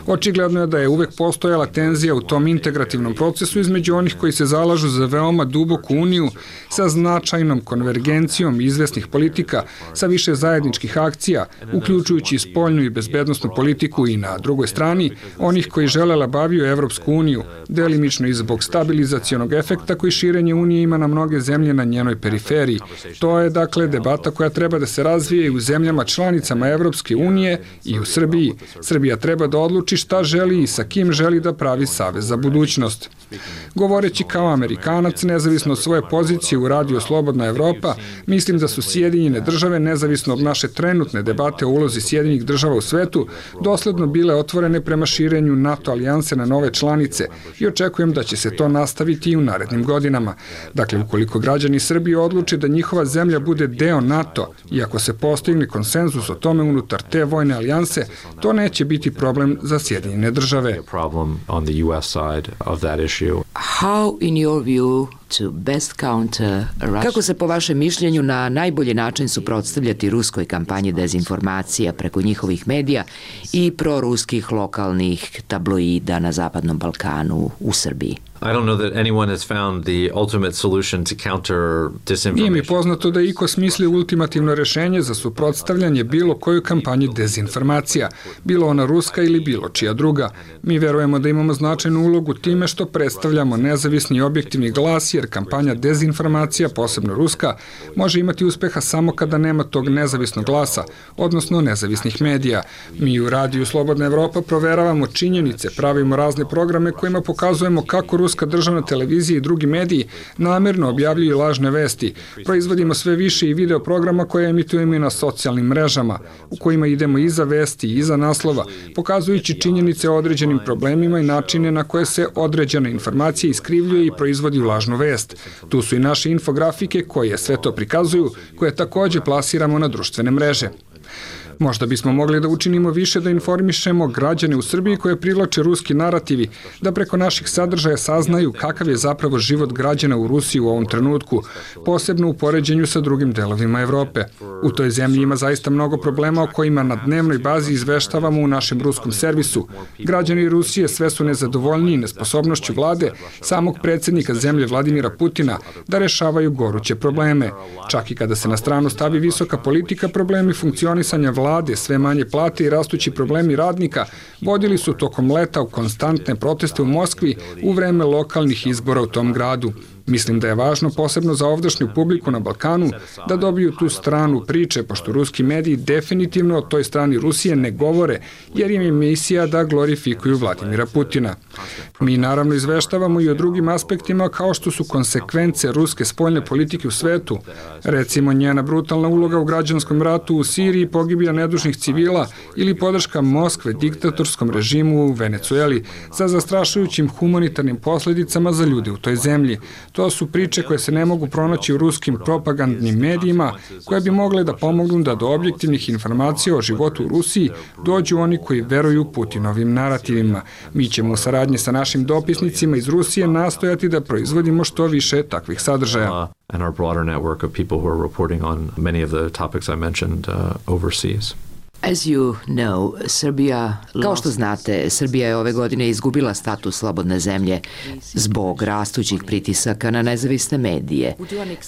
Očigledno je da je uvek postojala tenzija u tom integrativnom procesu između onih koji se zalažu za veoma duboku uniju sa značajnom konvergencijom izvesnih politika, sa više zajedničkih akcija, uključujući i spoljnu i bezbednosnu politiku, i na drugoj strani onih koji žele labaviju Evropsku uniju, delimično i zbog stabilizacionog efekta koji širenje unije ima na mnoge zemlje na njenoj periferiji. To je dakle debata koja treba da se razvije i u zemljama članicama Evropske unije i u Srbiji. Srbija treba da odluči šta želi i sa kim želi da pravi savez za budućnost. Govoreći kao Amerikanac, nezavisno od svoje pozicije u radiju Slobodna Evropa, mislim da su Sjedinjene države, nezavisno od naše trenutne debate o ulozi Sjedinjenih država u svetu, dosledno bile otvorene prema širenju NATO alijanse na nove članice i očekujem da će se to nastaviti i u narednim godinama. Dakle, ukoliko građani Srbije odluče da njihova zemlja bude deo NATO i ako se postigne konsenzus o tome unutar te vojne alijanse, to neće biti problem za Sjedinjene države. How, in your view, to best counter Russia? Kako se po vašem mišljenju na najbolji način suprotstavljati ruskoj kampanji dezinformacija preko njihovih medija i proruskih lokalnih tabloida na Zapadnom Balkanu u Srbiji? Nije mi poznato da iko smisli ultimativno rešenje za suprotstavljanje bilo kojoj kampanji dezinformacija, bilo ona ruska ili bilo čija druga. Mi verujemo da imamo značajnu ulogu time što predstavljamo nezavisni i objektivni glas, jer kampanja dezinformacija, posebno ruska, može imati uspeha samo kada nema tog nezavisnog glasa, odnosno nezavisnih medija. Mi u radiju Slobodna Evropa proveravamo činjenice, pravimo razne programe kojima pokazujemo kako ruska državna televizija i drugi mediji namerno objavljuju lažne vesti. Proizvodimo sve više i video programa koje emitujemo i na socijalnim mrežama, u kojima idemo iza vesti i iza naslova, pokazujući činjenice o određenim problemima i načine na koje se određena informacija iskrivljuje i proizvodi u lažnu vest. Tu su i naše infografike koje sve to prikazuju, koje takođe plasiramo na društvene mreže. Možda bismo mogli da učinimo više da informišemo građane u Srbiji koje privlače ruski narativi, da preko naših sadržaja saznaju kakav je zapravo život građana u Rusiji u ovom trenutku, posebno u poređenju sa drugim delovima Evrope. U toj zemlji ima zaista mnogo problema o kojima na dnevnoj bazi izveštavamo u našem ruskom servisu. Građani Rusije sve su nezadovoljniji nesposobnošću vlade samog predsjednika zemlje Vladimira Putina da rešavaju goruće probleme. Čak i kada se na stranu stavi visoka politika, problemi funkcionisanja vlade, sve manje plate i rastući problemi radnika vodili su tokom leta u konstantne proteste u Moskvi u vreme lokalnih izbora u tom gradu. Mislim da je važno posebno za ovdašnju publiku na Balkanu da dobiju tu stranu priče, pošto ruski mediji definitivno o toj strani Rusije ne govore, jer im je misija da glorifikuju Vladimira Putina. Mi naravno izveštavamo i o drugim aspektima kao što su konsekvence ruske spoljne politike u svetu, recimo njena brutalna uloga u građanskom ratu u Siriji, pogibija nedužnih civila ili podrška Moskve diktatorskom režimu u Venecueli sa zastrašujućim humanitarnim posledicama za ljude u toj zemlji. To su priče koje se ne mogu pronaći u ruskim propagandnim medijima, koje bi mogle da pomognu da do objektivnih informacija o životu u Rusiji dođu oni koji veruju Putinovim narativima. Mi ćemo u saradnji sa našim dopisnicima iz Rusije nastojati da proizvodimo što više takvih sadržaja. And our broader network of people who are reporting on many of the topics I mentioned overseas. As you know, kao što znate, Srbija je ove godine izgubila status slobodne zemlje zbog rastućih pritisaka na nezavisne medije.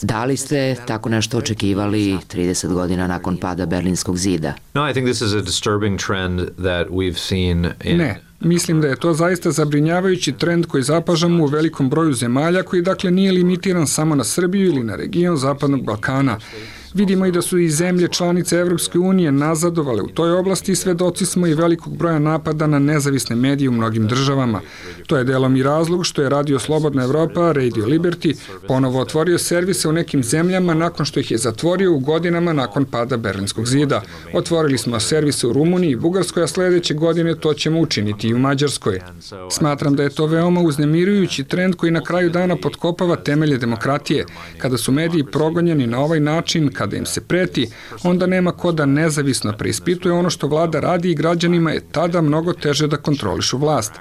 Da li ste tako nešto očekivali 30 godina nakon pada Berlinskog zida? No, I think this is a disturbing trend that we've seen in... Ne. Mislim da je to zaista zabrinjavajući trend koji zapažamo u velikom broju zemalja, koji dakle nije limitiran samo na Srbiju ili na region Zapadnog Balkana. Vidimo i da su i zemlje članice Evropske unije nazadovale u toj oblasti i svedoci smo i velikog broja napada na nezavisne medije u mnogim državama. To je delom i razlog što je Radio Slobodna Evropa, Radio Liberty, ponovo otvorio servise u nekim zemljama nakon što ih je zatvorio u godinama nakon pada Berlinskog zida. Otvorili smo servise u Rumuniji i Bugarskoj, a sledeće godine to ćemo učiniti i u Mađarskoj. Smatram da je to veoma uznemirujući trend koji na kraju dana potkopava temelje demokratije. Kada su mediji progonjeni na ovaj način, kada im se preti, onda nema ko da nezavisno preispituje ono što vlada radi i građanima je tada mnogo teže da kontrolišu vlast.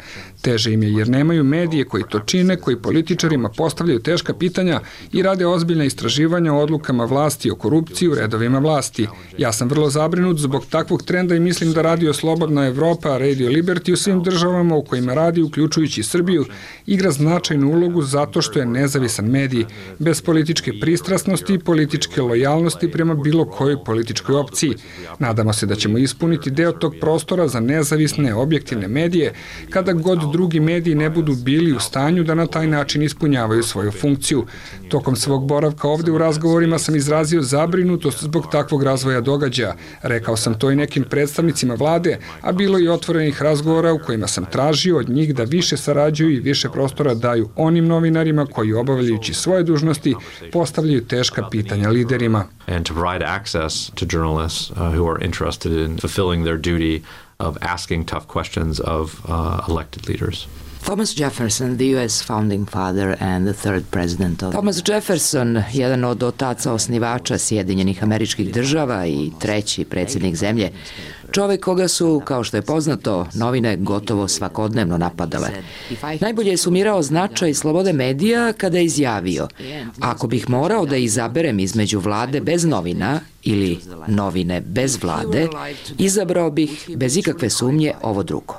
Teže im je jer nemaju medije koji to čine, koji političarima postavljaju teška pitanja i rade ozbiljna istraživanja o odlukama vlasti, o korupciji u redovima vlasti. Ja sam vrlo zabrinut zbog takvog trenda i mislim da Radio Slobodna Evropa, Radio Liberty u svim državama u kojima radi, uključujući Srbiju, igra značajnu ulogu zato što je nezavisan medij, bez političke pristrasnosti i političke lojalnosti prema bilo kojoj političkoj opciji. Nadamo se da ćemo ispuniti deo tog prostora za nezavisne, objektivne medije, kada god drugi mediji ne budu bili u stanju da na taj način ispunjavaju svoju funkciju. Tokom svog boravka ovde u razgovorima sam izrazio zabrinutost zbog takvog razvoja događaja. Rekao sam to i nekim predstavnicima vlade, a bilo i otvorenih razgovora u kojima sam tražio od njih da više sarađuju i više prostora daju onim novinarima koji, obavljajući svoje dužnosti, postavljaju teška pitanja liderima. And to provide access to journalists who are interested in fulfilling their duty of asking tough questions of elected leaders. Thomas Jefferson, the U.S. founding father and the third president of... Thomas Jefferson, jedan od otaca osnivača Sjedinjenih Američkih Država i treći predsjednik zemlje, čovjek koga su, kao što je poznato, novine gotovo svakodnevno napadale. Najbolje je sumirao značaj slobode medija kada je izjavio: ako bih morao da izaberem između vlade bez novina ili novine bez vlade, izabrao bih bez ikakve sumnje ovo drugo.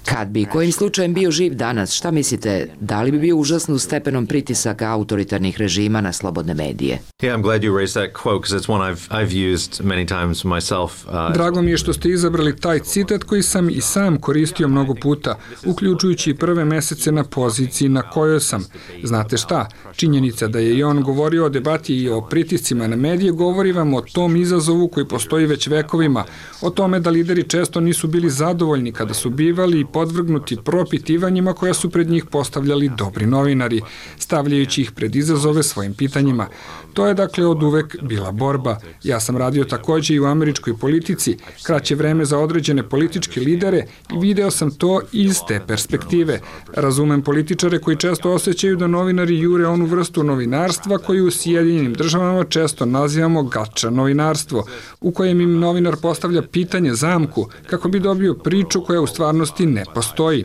Kad bi kojim slučajem bio živ danas, šta mislite, da li bi bio užasno stepenom pritisaka autoritarnih režima na slobodne medije? Yeah, I'm glad you raised that quote because it's one I've used many times myself. Drago mi je što ste izabrali taj citat koji sam i sam koristio mnogo puta, uključujući i prve mesece na poziciji na kojoj sam. Znate šta? Činjenica da je i on govorio o debati i o pritiscima na medije govori vam o tom izazovu koji postoji već vekovima, o tome da lideri često nisu bili zadovoljni kada su bivali podvrgnuti propitivanjima koja su pred njih postavljali dobri novinari, stavljajući ih pred izazove svojim pitanjima. To je dakle od uvek bila borba. Ja sam radio takođe i u američkoj politici, kraće vreme za određene političke lidere i video sam to iz te perspektive. Razumem političare koji često osjećaju da novinari jure onu vrstu novinarstva koju u Sjedinjenim Državama često nazivamo gača novinarstvo, u kojem im novinar postavlja pitanje zamku kako bi dobio priču koja u stvarnosti ne postoji.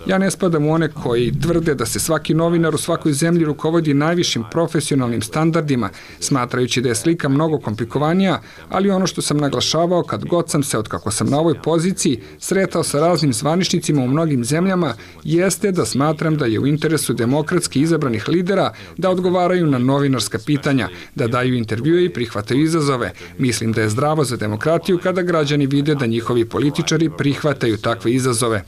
Ja ne spadam u one koji tvrde da se svaki novinar u svakoj zemlji rukovodi najvišim profesionalnim standardima, smatrajući da je slika mnogo komplikovanija, ali ono što sam naglašavao kad god sam se, otkako sam na ovoj poziciji, sretao sa raznim zvaničnicima u mnogim zemljama, jeste da smatram da je u interesu demokratski izabranih lidera da odgovaraju na novinarska pitanja, da daju intervjue i prihvataju izazove. Mislim da je zdravo za demokratiju kada građani vide da njihovi političari prihvataju takve izazove.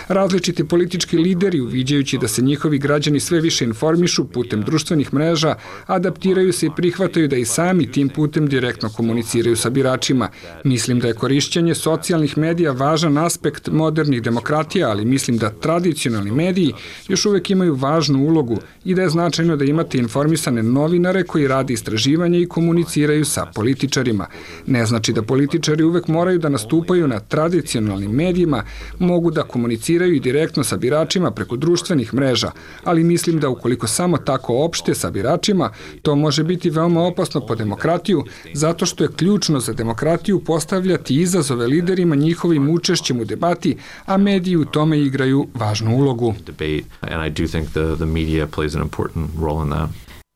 Različiti politički lideri, uviđajući da se njihovi građani sve više informišu putem društvenih mreža, adaptiraju se i prihvataju da i sami tim putem direktno komuniciraju sa biračima. Mislim da je korišćenje socijalnih medija važan aspekt modernih demokratija, ali mislim da tradicionalni mediji još uvek imaju važnu ulogu i da je značajno da imate informisane novinare koji rade istraživanje i komuniciraju sa političarima. Ne znači da političari uvek moraju da nastupaju na tradicionalnim medijima, mogu da komuniciraju i direktno sa biračima preko društvenih mreža, ali mislim da ukoliko samo tako opšte sa biračima, to može biti veoma opasno po demokratiju, zato što je ključno za demokratiju postavljati izazove liderima njihovim učešćem u debati, a mediji u tome igraju važnu ulogu.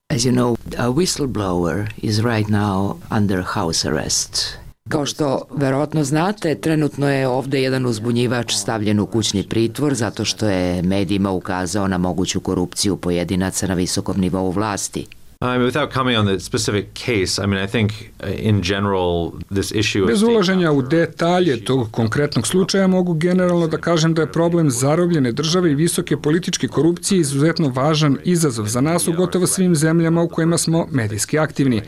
As you know, a whistleblower is right now under house arrest. Kao što verovatno znate, trenutno je ovde jedan uzbunjivač stavljen u kućni pritvor zato što je medijima ukazao na moguću korupciju pojedinaca na visokom nivou vlasti. Without coming on the specific case, I mean, I think in general this issue of... Bez ulaženja u detalje tog konkretnog slučaja mogu generalno da kažem da je problem zarobljene države i visoke političke korupcije izuzetno važan izazov za nas u gotovo svim zemljama u kojima smo medijski aktivni.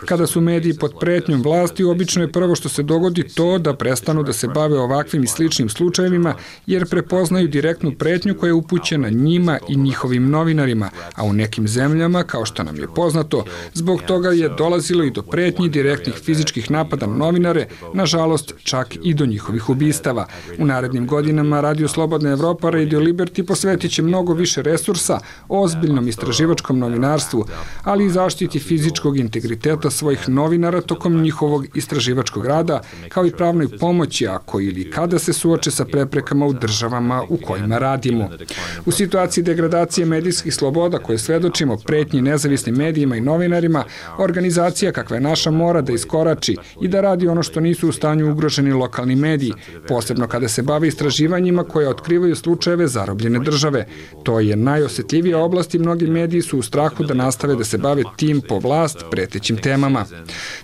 Kada su mediji pod pretnjom vlasti, obično je prvo što se dogodi to da prestanu da se bave ovakvim i sličnim slučajevima, jer prepoznaju direktnu pretnju koja je upućena njima i njihovim novinarima, a u nekim zemljama, kao što nam je poznato, zbog toga je dolazilo i do pretnji direktnih fizičkih napada na novinare, nažalost čak i do njihovih ubistava. U narednim godinama Radio Slobodna Evropa, Radio Liberty posvetit će mnogo više resursa ozbiljnom istraživačkom novinarstvu, ali i zaštiti fizičkog integriteta svojih novinara tokom njihovog istraživačkog rada, kao i pravnoj pomoći ako ili kada se suoče sa preprekama u državama u kojima radimo. U situaciji degradacije medijskih sloboda koje svedočimo pretnji nezavisnim medijima i novinarima, organizacija kakva je naša mora da iskorači i da radi ono što nisu u stanju ugroženi lokalni mediji, posebno kada se bave istraživanjima koje otkrivaju slučajeve zarobljene države. To je najosjetljivija oblast i mnogi mediji su u strahu da nastave da se bave tim po vlast pretećim temama.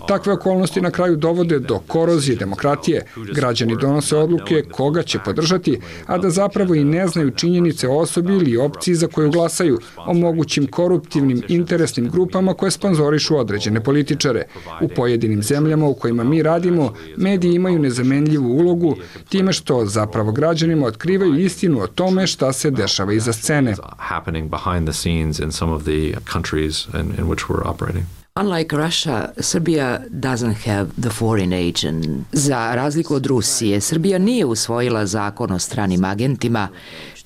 Takve okolnosti na kraju dovode do korozije demokratije. Građani donose odluke koga će podržati, a da zapravo i ne znaju činjenice o osobi ili opciji za koju glasaju, o mogućim koruptivnim interesnim grupama koje sponzorišu određene političare. U pojedinim zemljama u kojima mi radimo, mediji imaju nezamenljivu ulogu time što zapravo građanima otkrivaju istinu o tome šta se dešava iza scene. Unlike Russia, Serbia doesn't have the foreign agent. Za razliku od Rusije, Srbija nije usvojila zakon o stranim agentima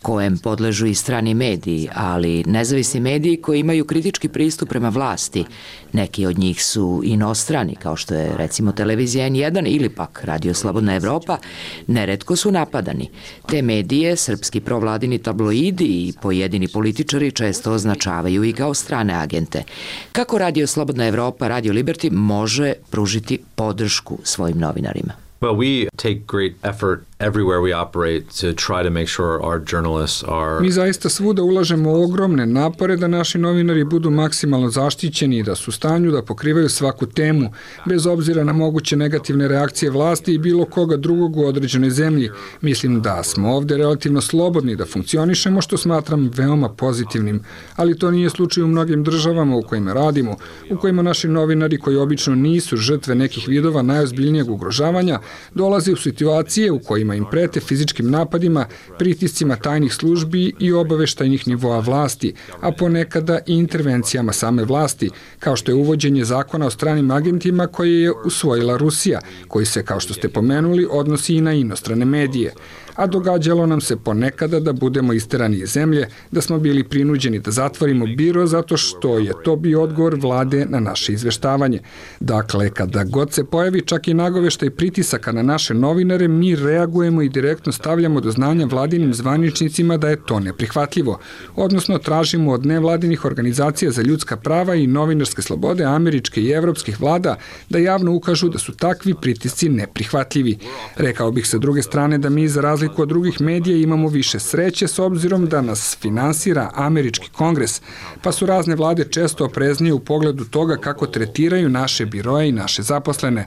kojem podležu i strani mediji, ali nezavisni mediji koji imaju kritički pristup prema vlasti. Neki od njih su inostrani, kao što je recimo televizija N1 ili pak Radio Slobodna Evropa, neretko su napadani. Te medije, srpski provladini tabloidi i pojedini političari često označavaju i kao strane agente. Kako Radio Slobodna Evropa, Radio Liberty može pružiti podršku svojim novinarima? Well, we take great effort everywhere we operate to try to make sure our journalists are... Mi zaista svuda ulažemo ogromne napore da naši novinari budu maksimalno zaštićeni i da su u stanju da pokrivaju svaku temu, bez obzira na moguće negativne reakcije vlasti i bilo koga drugog u određenoj zemlji. Mislim da smo ovde relativno slobodni da funkcionišemo, što smatram veoma pozitivnim, ali to nije slučaj u mnogim državama u kojima radimo, u kojima naši novinari koji obično nisu žrtve nekih vidova najozbiljnijeg ugrožavanja, dolaze u situacije u kojima im prete fizičkim napadima, pritiscima tajnih službi i obaveštajnih nivoa vlasti, a ponekada i intervencijama same vlasti, kao što je uvođenje zakona o stranim agentima koje je usvojila Rusija, koji se, kao što ste pomenuli, odnosi i na inostrane medije. A događalo nam se ponekada da budemo isterani iz zemlje, da smo bili prinuđeni da zatvorimo biro zato što je to bio odgovor vlade na naše izveštavanje. Dakle, kada god se pojavi čak i nagoveštaj pritisaka na naše novinare, mi reagujemo i direktno stavljamo do znanja vladinim zvaničnicima da je to neprihvatljivo, odnosno tražimo od nevladinih organizacija za ljudska prava i novinarske slobode američke i evropskih vlada da javno ukažu da su takvi pritisci neprihvatljivi. Rekao bih sa druge strane da mi za razliku od drugih medija imamo više sreće s obzirom da nas finansira američki kongres, pa su razne vlade često opreznije u pogledu toga kako tretiraju naše biroje i naše zaposlene.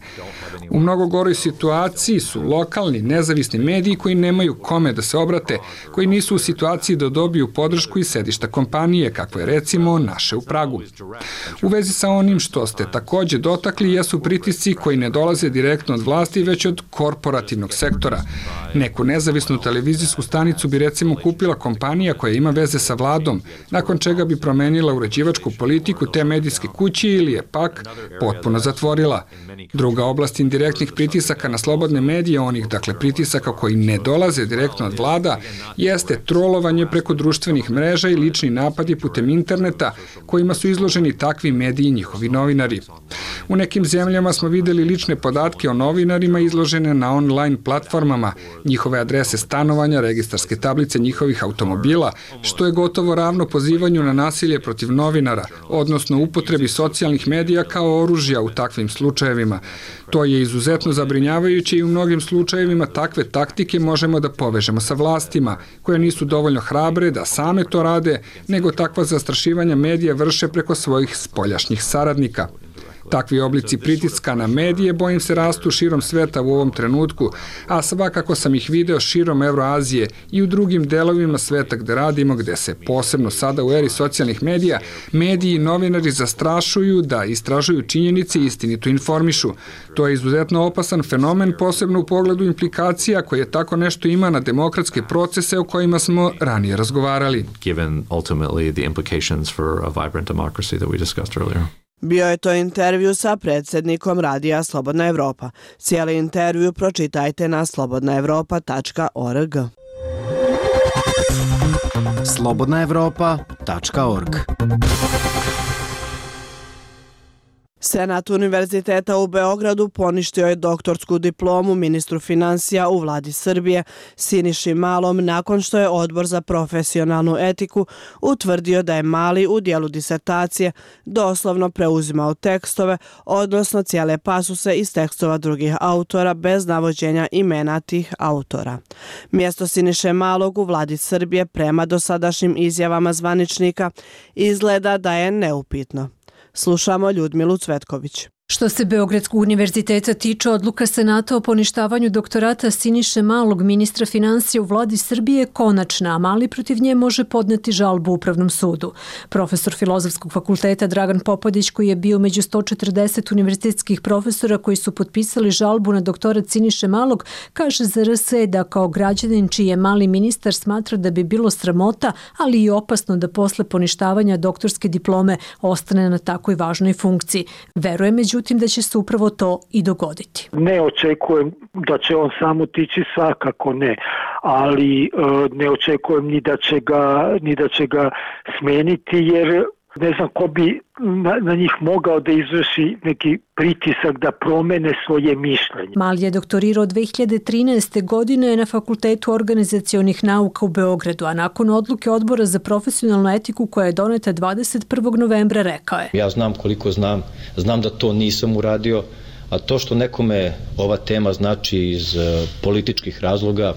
U mnogo goroj situaciji su lokalni, nezavisni mediji koji nemaju kome da se obrate, koji nisu u situaciji da dobiju podršku iz sedišta kompanije, kako je recimo naše u Pragu. U vezi sa onim što ste takođe dotakli jesu pritisci koji ne dolaze direktno od vlasti, već od korporativnog sektora. Neku nezavisnu televizijsku stanicu bi recimo kupila kompanija koja ima veze sa vladom, nakon čega bi promenila uređivačku politiku te medijske kuće ili je pak potpuno zatvorila. Druga oblast indirektnih pritisaka na slobodne medije, onih dakle pritisaka koji ne dolaze direktno od vlada, jeste trolovanje preko društvenih mreža i lični napadi putem interneta kojima su izloženi takvi mediji i njihovi novinari. U nekim zemljama smo videli lične podatke o novinarima izložene na online platformama, njihove adrese stanovanja, registarske tablice njihovih automobila, što je gotovo ravno pozivanju na nasilje protiv novinara, odnosno upotrebi socijalnih medija kao oružja u takvim slučajevima. To je izuzetno zabrinjavajuće i u mnogim slučajevima takve taktike možemo da povežemo sa vlastima, koje nisu dovoljno hrabre da same to rade, nego takva zastrašivanja medija vrše preko svojih spoljašnjih saradnika. Takvi oblici pritiska na medije, bojim se, rastu širom sveta u ovom trenutku, a svakako sam ih video širom Evroazije i u drugim delovima sveta gde radimo, gde se posebno sada u eri socijalnih medija, mediji i novinari zastrašuju da istražuju činjenice i istinito informišu. To je izuzetno opasan fenomen, posebno u pogledu implikacija koje tako nešto ima na demokratske procese o kojima smo ranije razgovarali. Given ultimately the implications for a vibrant democracy that we discussed earlier. Bio je to intervju sa predsjednikom radija Slobodna Evropa. Cijeli intervju pročitajte na slobodnaevropa.org. slobodnaevropa.org. Senat Univerziteta u Beogradu poništio je doktorsku diplomu ministru financija u vladi Srbije Siniši Malom nakon što je Odbor za profesionalnu etiku utvrdio da je Mali u dijelu disertacije doslovno preuzimao tekstove, odnosno cijele pasuse iz tekstova drugih autora bez navođenja imena tih autora. Mjesto Siniše Malog u vladi Srbije prema dosadašnjim izjavama zvaničnika izgleda da je neupitno. Slušamo Ljudmilu Cvetković. Što se Beogradskog univerziteta tiče, odluka Senata o poništavanju doktorata Siniše Malog, ministra financija u vladi Srbije, je konačna, a Mali protiv nje može podneti žalbu Upravnom sudu. Profesor Filozofskog fakulteta Dragan Popadić, koji je bio među 140 univerzitetskih profesora koji su potpisali žalbu na doktorat Siniše Malog, kaže za RS da kao građanin čiji je Mali ministar smatra da bi bilo sramota, ali i opasno da posle poništavanja doktorske diplome ostane na takoj važnoj funkciji. Veruje međutim da će se upravo to i dogoditi. Ne očekujem da će on samo otići, svakako ne, ali ne očekujem ni da će ga smeniti, jer ne znam ko bi na njih mogao da izvrši neki pritisak da promene svoje mišljenje. Mali je doktorirao 2013. godine na Fakultetu organizacionih nauka u Beogradu, a nakon odluke Odbora za profesionalnu etiku koja je doneta 21. novembra rekao je: Ja znam koliko znam da to nisam uradio, a to što nekome ova tema znači iz političkih razloga,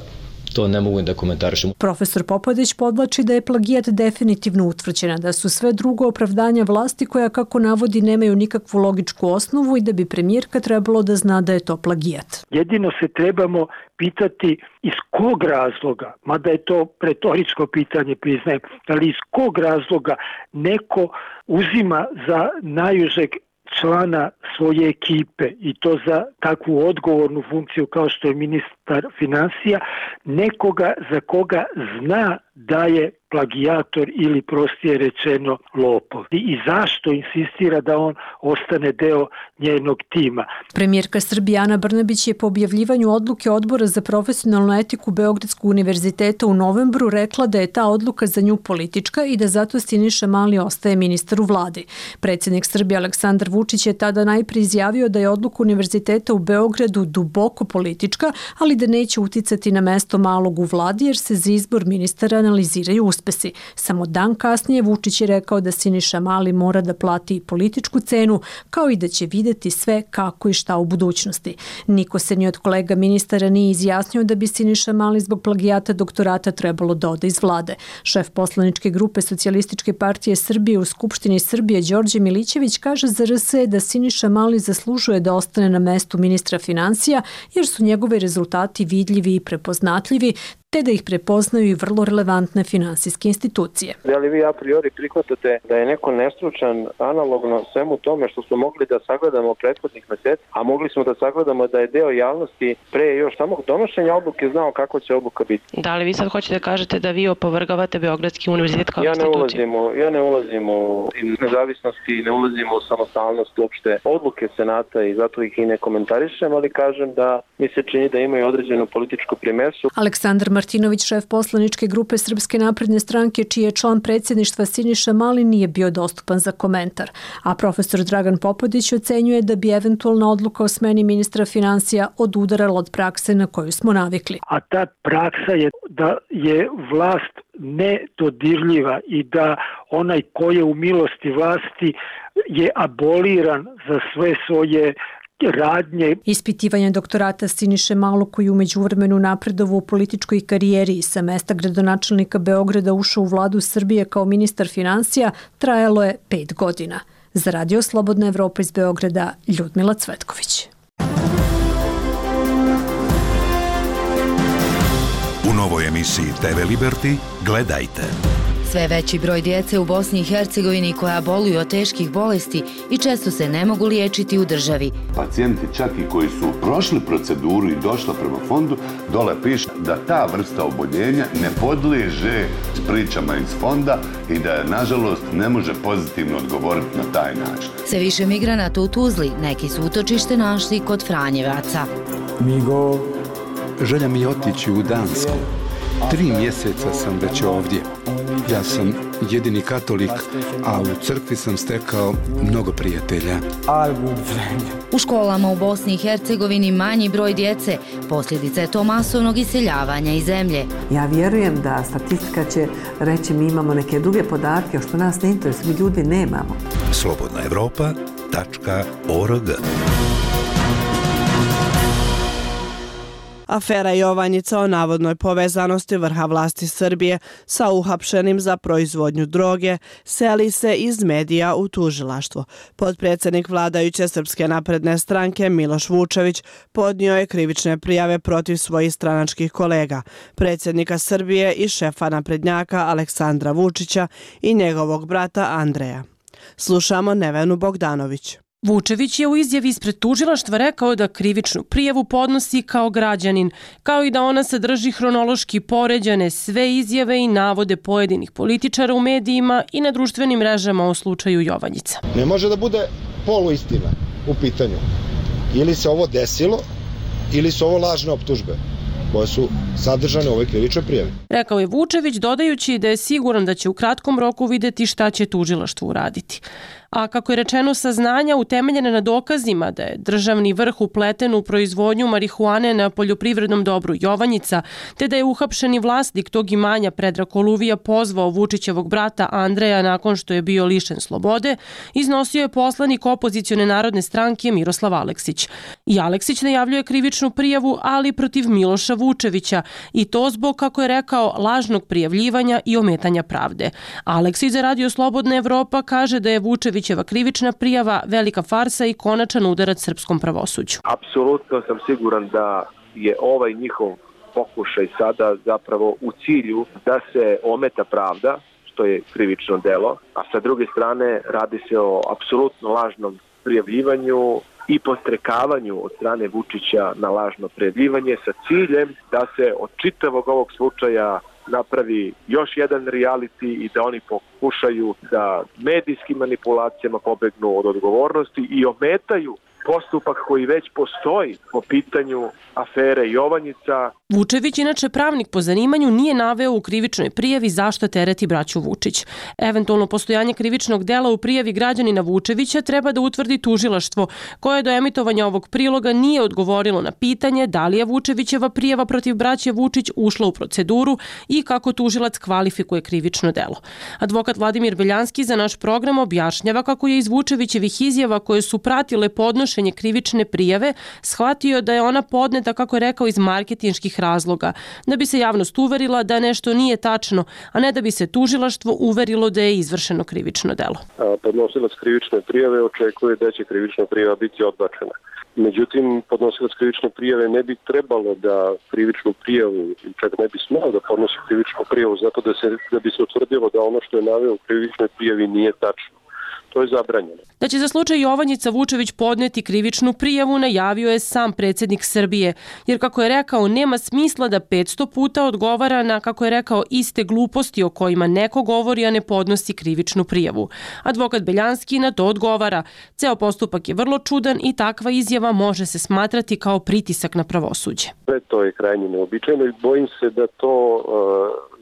to ne mogu da komentarišem. Profesor Popadić podvlači da je plagijat definitivno utvrđena, da su sve drugo opravdanja vlasti koja, kako navodi, nemaju nikakvu logičku osnovu i da bi premijerka trebalo da zna da je to plagijat. Jedino se trebamo pitati iz kog razloga, mada je to retoričko pitanje, priznajem, ali iz kog razloga neko uzima za najužeg člana svoje ekipe i to za takvu odgovornu funkciju kao što je ministar financija, nekoga za koga zna da je plagijator ili prostije rečeno lopov. I zašto insistira da on ostane deo njenog tima? Premijerka Srbije Ana Brnabić je po objavljivanju odluke Odbora za profesionalnu etiku Beogradskog univerziteta u novembru rekla da je ta odluka za nju politička i da zato Siniša Mali ostaje ministar u vladi. Predsjednik Srbije Aleksandar Vučić je tada najprije izjavio da je odluka univerziteta u Beogradu duboko politička, ali da neće uticati na mesto Malog u vladi jer se za izbor ministara analiziraju uspesi. Samo dan kasnije Vučić je rekao da Siniša Mali mora da plati političku cenu, kao i da će videti sve kako i šta u budućnosti. Niko se ni od kolega ministara nije izjasnio da bi Siniša Mali zbog plagijata doktorata trebalo da ode iz vlade. Šef poslaničke grupe Socijalističke partije Srbije u Skupštini Srbije Đorđe Milićević kaže za RS da Siniša Mali zaslužuje da ostane na mestu ministra financija jer su njegove rezultati vidljivi i prepoznatljivi, te da ih prepoznaju i vrlo relevantne finansijske institucije. Da li vi a priori prihvatate da je neko nestručan analogno svemu tome što smo mogli da sagledamo prethodnih meseci, a mogli smo da sagledamo da je deo javnosti pre još samog donošenja odluke znao kako će odluka biti? Da li vi sad hoćete da kažete da vi opovrgavate Beogradski univerzitet kao instituciju? Ja ne ulazim u nezavisnosti, ne ulazim u samostalnost uopšte odluke Senata i zato ih i ne komentarišem, ali kažem da mi se čini da imaju određenu političku primesu. Aleksandar Martinović, šef poslaničke grupe Srpske napredne stranke, čiji je član predsjedništva Siniša Mali, nije bio dostupan za komentar, a profesor Dragan Popodić ocenjuje da bi eventualna odluka o smeni ministra finansija odudarala od prakse na koju smo navikli. A ta praksa je da je vlast nedodirljiva i da onaj ko je u milosti vlasti je aboliran za sve svoje radnje. Ispitivanje doktorata Siniše Malog, koji u međuvremenu napredovao u političkoj karijeri i sa mesta gradonačelnika Beograda ušao u vladu Srbije kao ministar finansija, trajalo je 5 godina. Za Radio Slobodna Evropa iz Beograda, Ljudmila Cvetković. U novoj emisiji TV Liberty gledajte. Sve veći broj djece u Bosni i Hercegovini koja boluju od teških bolesti i često se ne mogu liječiti u državi. Pacijenti čak i koji su prošli proceduru i došla prema fondu, dole piše da ta vrsta oboljenja ne podliježe pričama iz fonda i da nažalost ne može pozitivno odgovoriti na taj način. Sve više migranata u Tuzli, neki su utočište našli kod Franjevaca. Migo, želja mi je otići u Dansku. 3 mjeseca sam već ovdje. Ja sam jedini katolik, a u crkvi sam stekao mnogo prijatelja. U školama u Bosni i Hercegovini manji broj djece. Posljedica je to masovnog iseljavanja iz zemlje. Ja vjerujem da statistika će reći mi imamo neke druge podatke, što nas ne interesuje, mi ljudi nemamo. slobodnaevropa.org. Afera Jovanjica o navodnoj povezanosti vrha vlasti Srbije sa uhapšenim za proizvodnju droge seli se iz medija u tužilaštvo. Potpredsjednik vladajuće Srpske napredne stranke Miloš Vučević podnio je krivične prijave protiv svojih stranačkih kolega, predsjednika Srbije i šefa naprednjaka Aleksandra Vučića i njegovog brata Andreja. Slušamo Nevenu Bogdanović. Vučević je u izjavi ispred tužilaštva rekao da krivičnu prijavu podnosi kao građanin, kao i da ona sadrži hronološki poređane sve izjave i navode pojedinih političara u medijima i na društvenim mrežama o slučaju Jovanjica. Ne može da bude poluistina u pitanju. Ili se ovo desilo, ili su ovo lažne optužbe koje su sadržane u ovoj krivičnoj prijavi. Rekao je Vučević, dodajući da je siguran da će u kratkom roku vidjeti šta će tužilaštvo uraditi. A kako je rečeno, saznanja utemeljene na dokazima da je državni vrh upleten u proizvodnju marihuane na poljoprivrednom dobru Jovanjica, te da je uhapšeni vlasnik tog imanja Predrag Koluvija pozvao Vučićevog brata Andreja nakon što je bio lišen slobode, iznosio je poslanik opozicione narodne stranke Miroslav Aleksić. I Aleksić najavljuje krivičnu prijavu, ali protiv Miloša Vučevića, i to zbog, kako je rekao, lažnog prijavljivanja i ometanja pravde. Aleksić za Radio Slobodna Evropa kaže da je Vučevićeva krivična prijava velika farsa i konačan udarac srpskom pravosuđu. Apsolutno sam siguran da je ovaj njihov pokušaj sada zapravo u cilju da se ometa pravda, što je krivično delo, a sa druge strane radi se o apsolutno lažnom prijavljivanju i podstrekavanju od strane Vučića na lažno prijavljivanje sa ciljem da se od čitavog ovog slučaja napravi još jedan reality i da oni pokušaju da medijskim manipulacijama pobegnu od odgovornosti i ometaju postupak koji već postoji po pitanju afere Jovanjica. Vučević, inače pravnik po zanimanju, nije naveo u krivičnoj prijavi zašto tereti braću Vučić. Eventualno postojanje krivičnog dela u prijavi građanina Vučevića treba da utvrdi tužilaštvo, koje do emitovanja ovog priloga nije odgovorilo na pitanje da li je Vučevićeva prijava protiv braće Vučić ušla u proceduru i kako tužilac kvalifikuje krivično delo. Advokat Vladimir Beljanski za naš program objašnjava kako je iz Vučevićevih izjava koje su pratile podnošenje krivične prijave shvatio da je ona podneta, kako je rekao, iz marketinških razloga, da bi se javnost uverila da nešto nije tačno, a ne da bi se tužilaštvo uverilo da je izvršeno krivično delo. Podnosilac krivične prijave očekuje da će krivična prijava biti odbačena. Međutim, podnosilac krivične prijave ne bi trebalo da krivičnu prijavu, čak ne bi smao da podnosi krivičnu prijavu zato da bi se utvrdilo da ono što je naveo u krivičnoj prijavi nije tačno. to je zabranjeno. Da će za slučaj Jovanjica Vučević podneti krivičnu prijavu najavio je sam predsjednik Srbije, jer kako je rekao nema smisla da 500 puta odgovara na, kako je rekao, iste gluposti o kojima neko govori, a ne podnosi krivičnu prijavu. Advokat Beljanski na to odgovara. Ceo postupak je vrlo čudan i takva izjava može se smatrati kao pritisak na pravosuđe. To je krajnje neobičajno i bojim se da to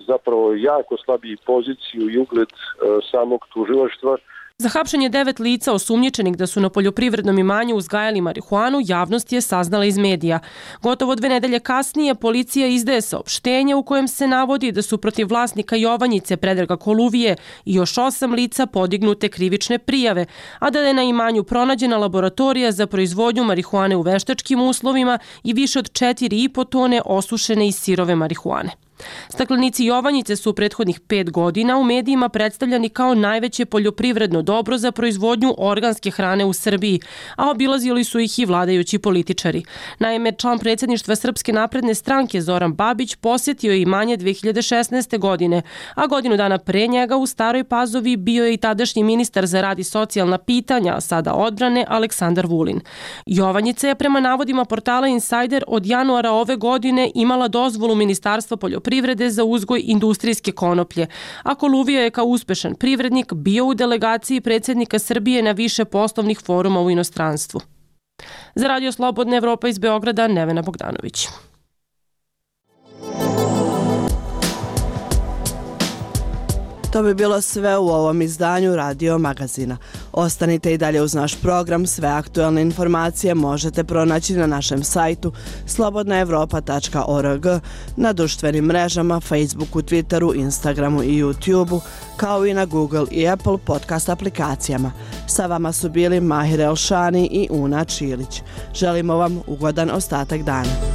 zapravo jako slabi poziciju i ugled samog tužilaštva. Za hapšenje 9 lica osumnjičenih da su na poljoprivrednom imanju uzgajali marihuanu, javnost je saznala iz medija. Gotovo 2 nedelje kasnije policija izdaje saopštenje u kojem se navodi da su protiv vlasnika Jovanjice Predraga Koluvije i još 8 lica podignute krivične prijave, a da je na imanju pronađena laboratorija za proizvodnju marihuane u veštačkim uslovima i više od 4,5 tone osušene i sirove marihuane. Staklenici Jovanjice su u prethodnih 5 godina u medijima predstavljani kao najveće poljoprivredno dobro za proizvodnju organske hrane u Srbiji, a obilazili su ih i vladajući političari. Naime, član predsjedništva Srpske napredne stranke Zoran Babić posjetio je imanje 2016. godine, a godinu dana pre njega u Staroj Pazovi bio je i tadašnji ministar za rad i socijalna pitanja, sada odbrane, Aleksandar Vulin. Jovanjica je prema navodima portala Insider od januara ove godine imala dozvolu Ministarstva poljoprivrede za uzgoj industrijske konoplje, a Koluvija je kao uspešan privrednik bio u delegaciji predsjednika Srbije na više poslovnih foruma u inostranstvu. Za Radio Slobodna Evropa iz Beograda, Nevena Bogdanović. To bi bilo sve u ovom izdanju Radio Magazina. Ostanite i dalje uz naš program. Sve aktualne informacije možete pronaći na našem sajtu slobodnaevropa.org, na društvenim mrežama, Facebooku, Twitteru, Instagramu i YouTubeu, kao i na Google i Apple podcast aplikacijama. Sa vama su bili Mahir Elšani i Una Čilić. Želimo vam ugodan ostatak dana.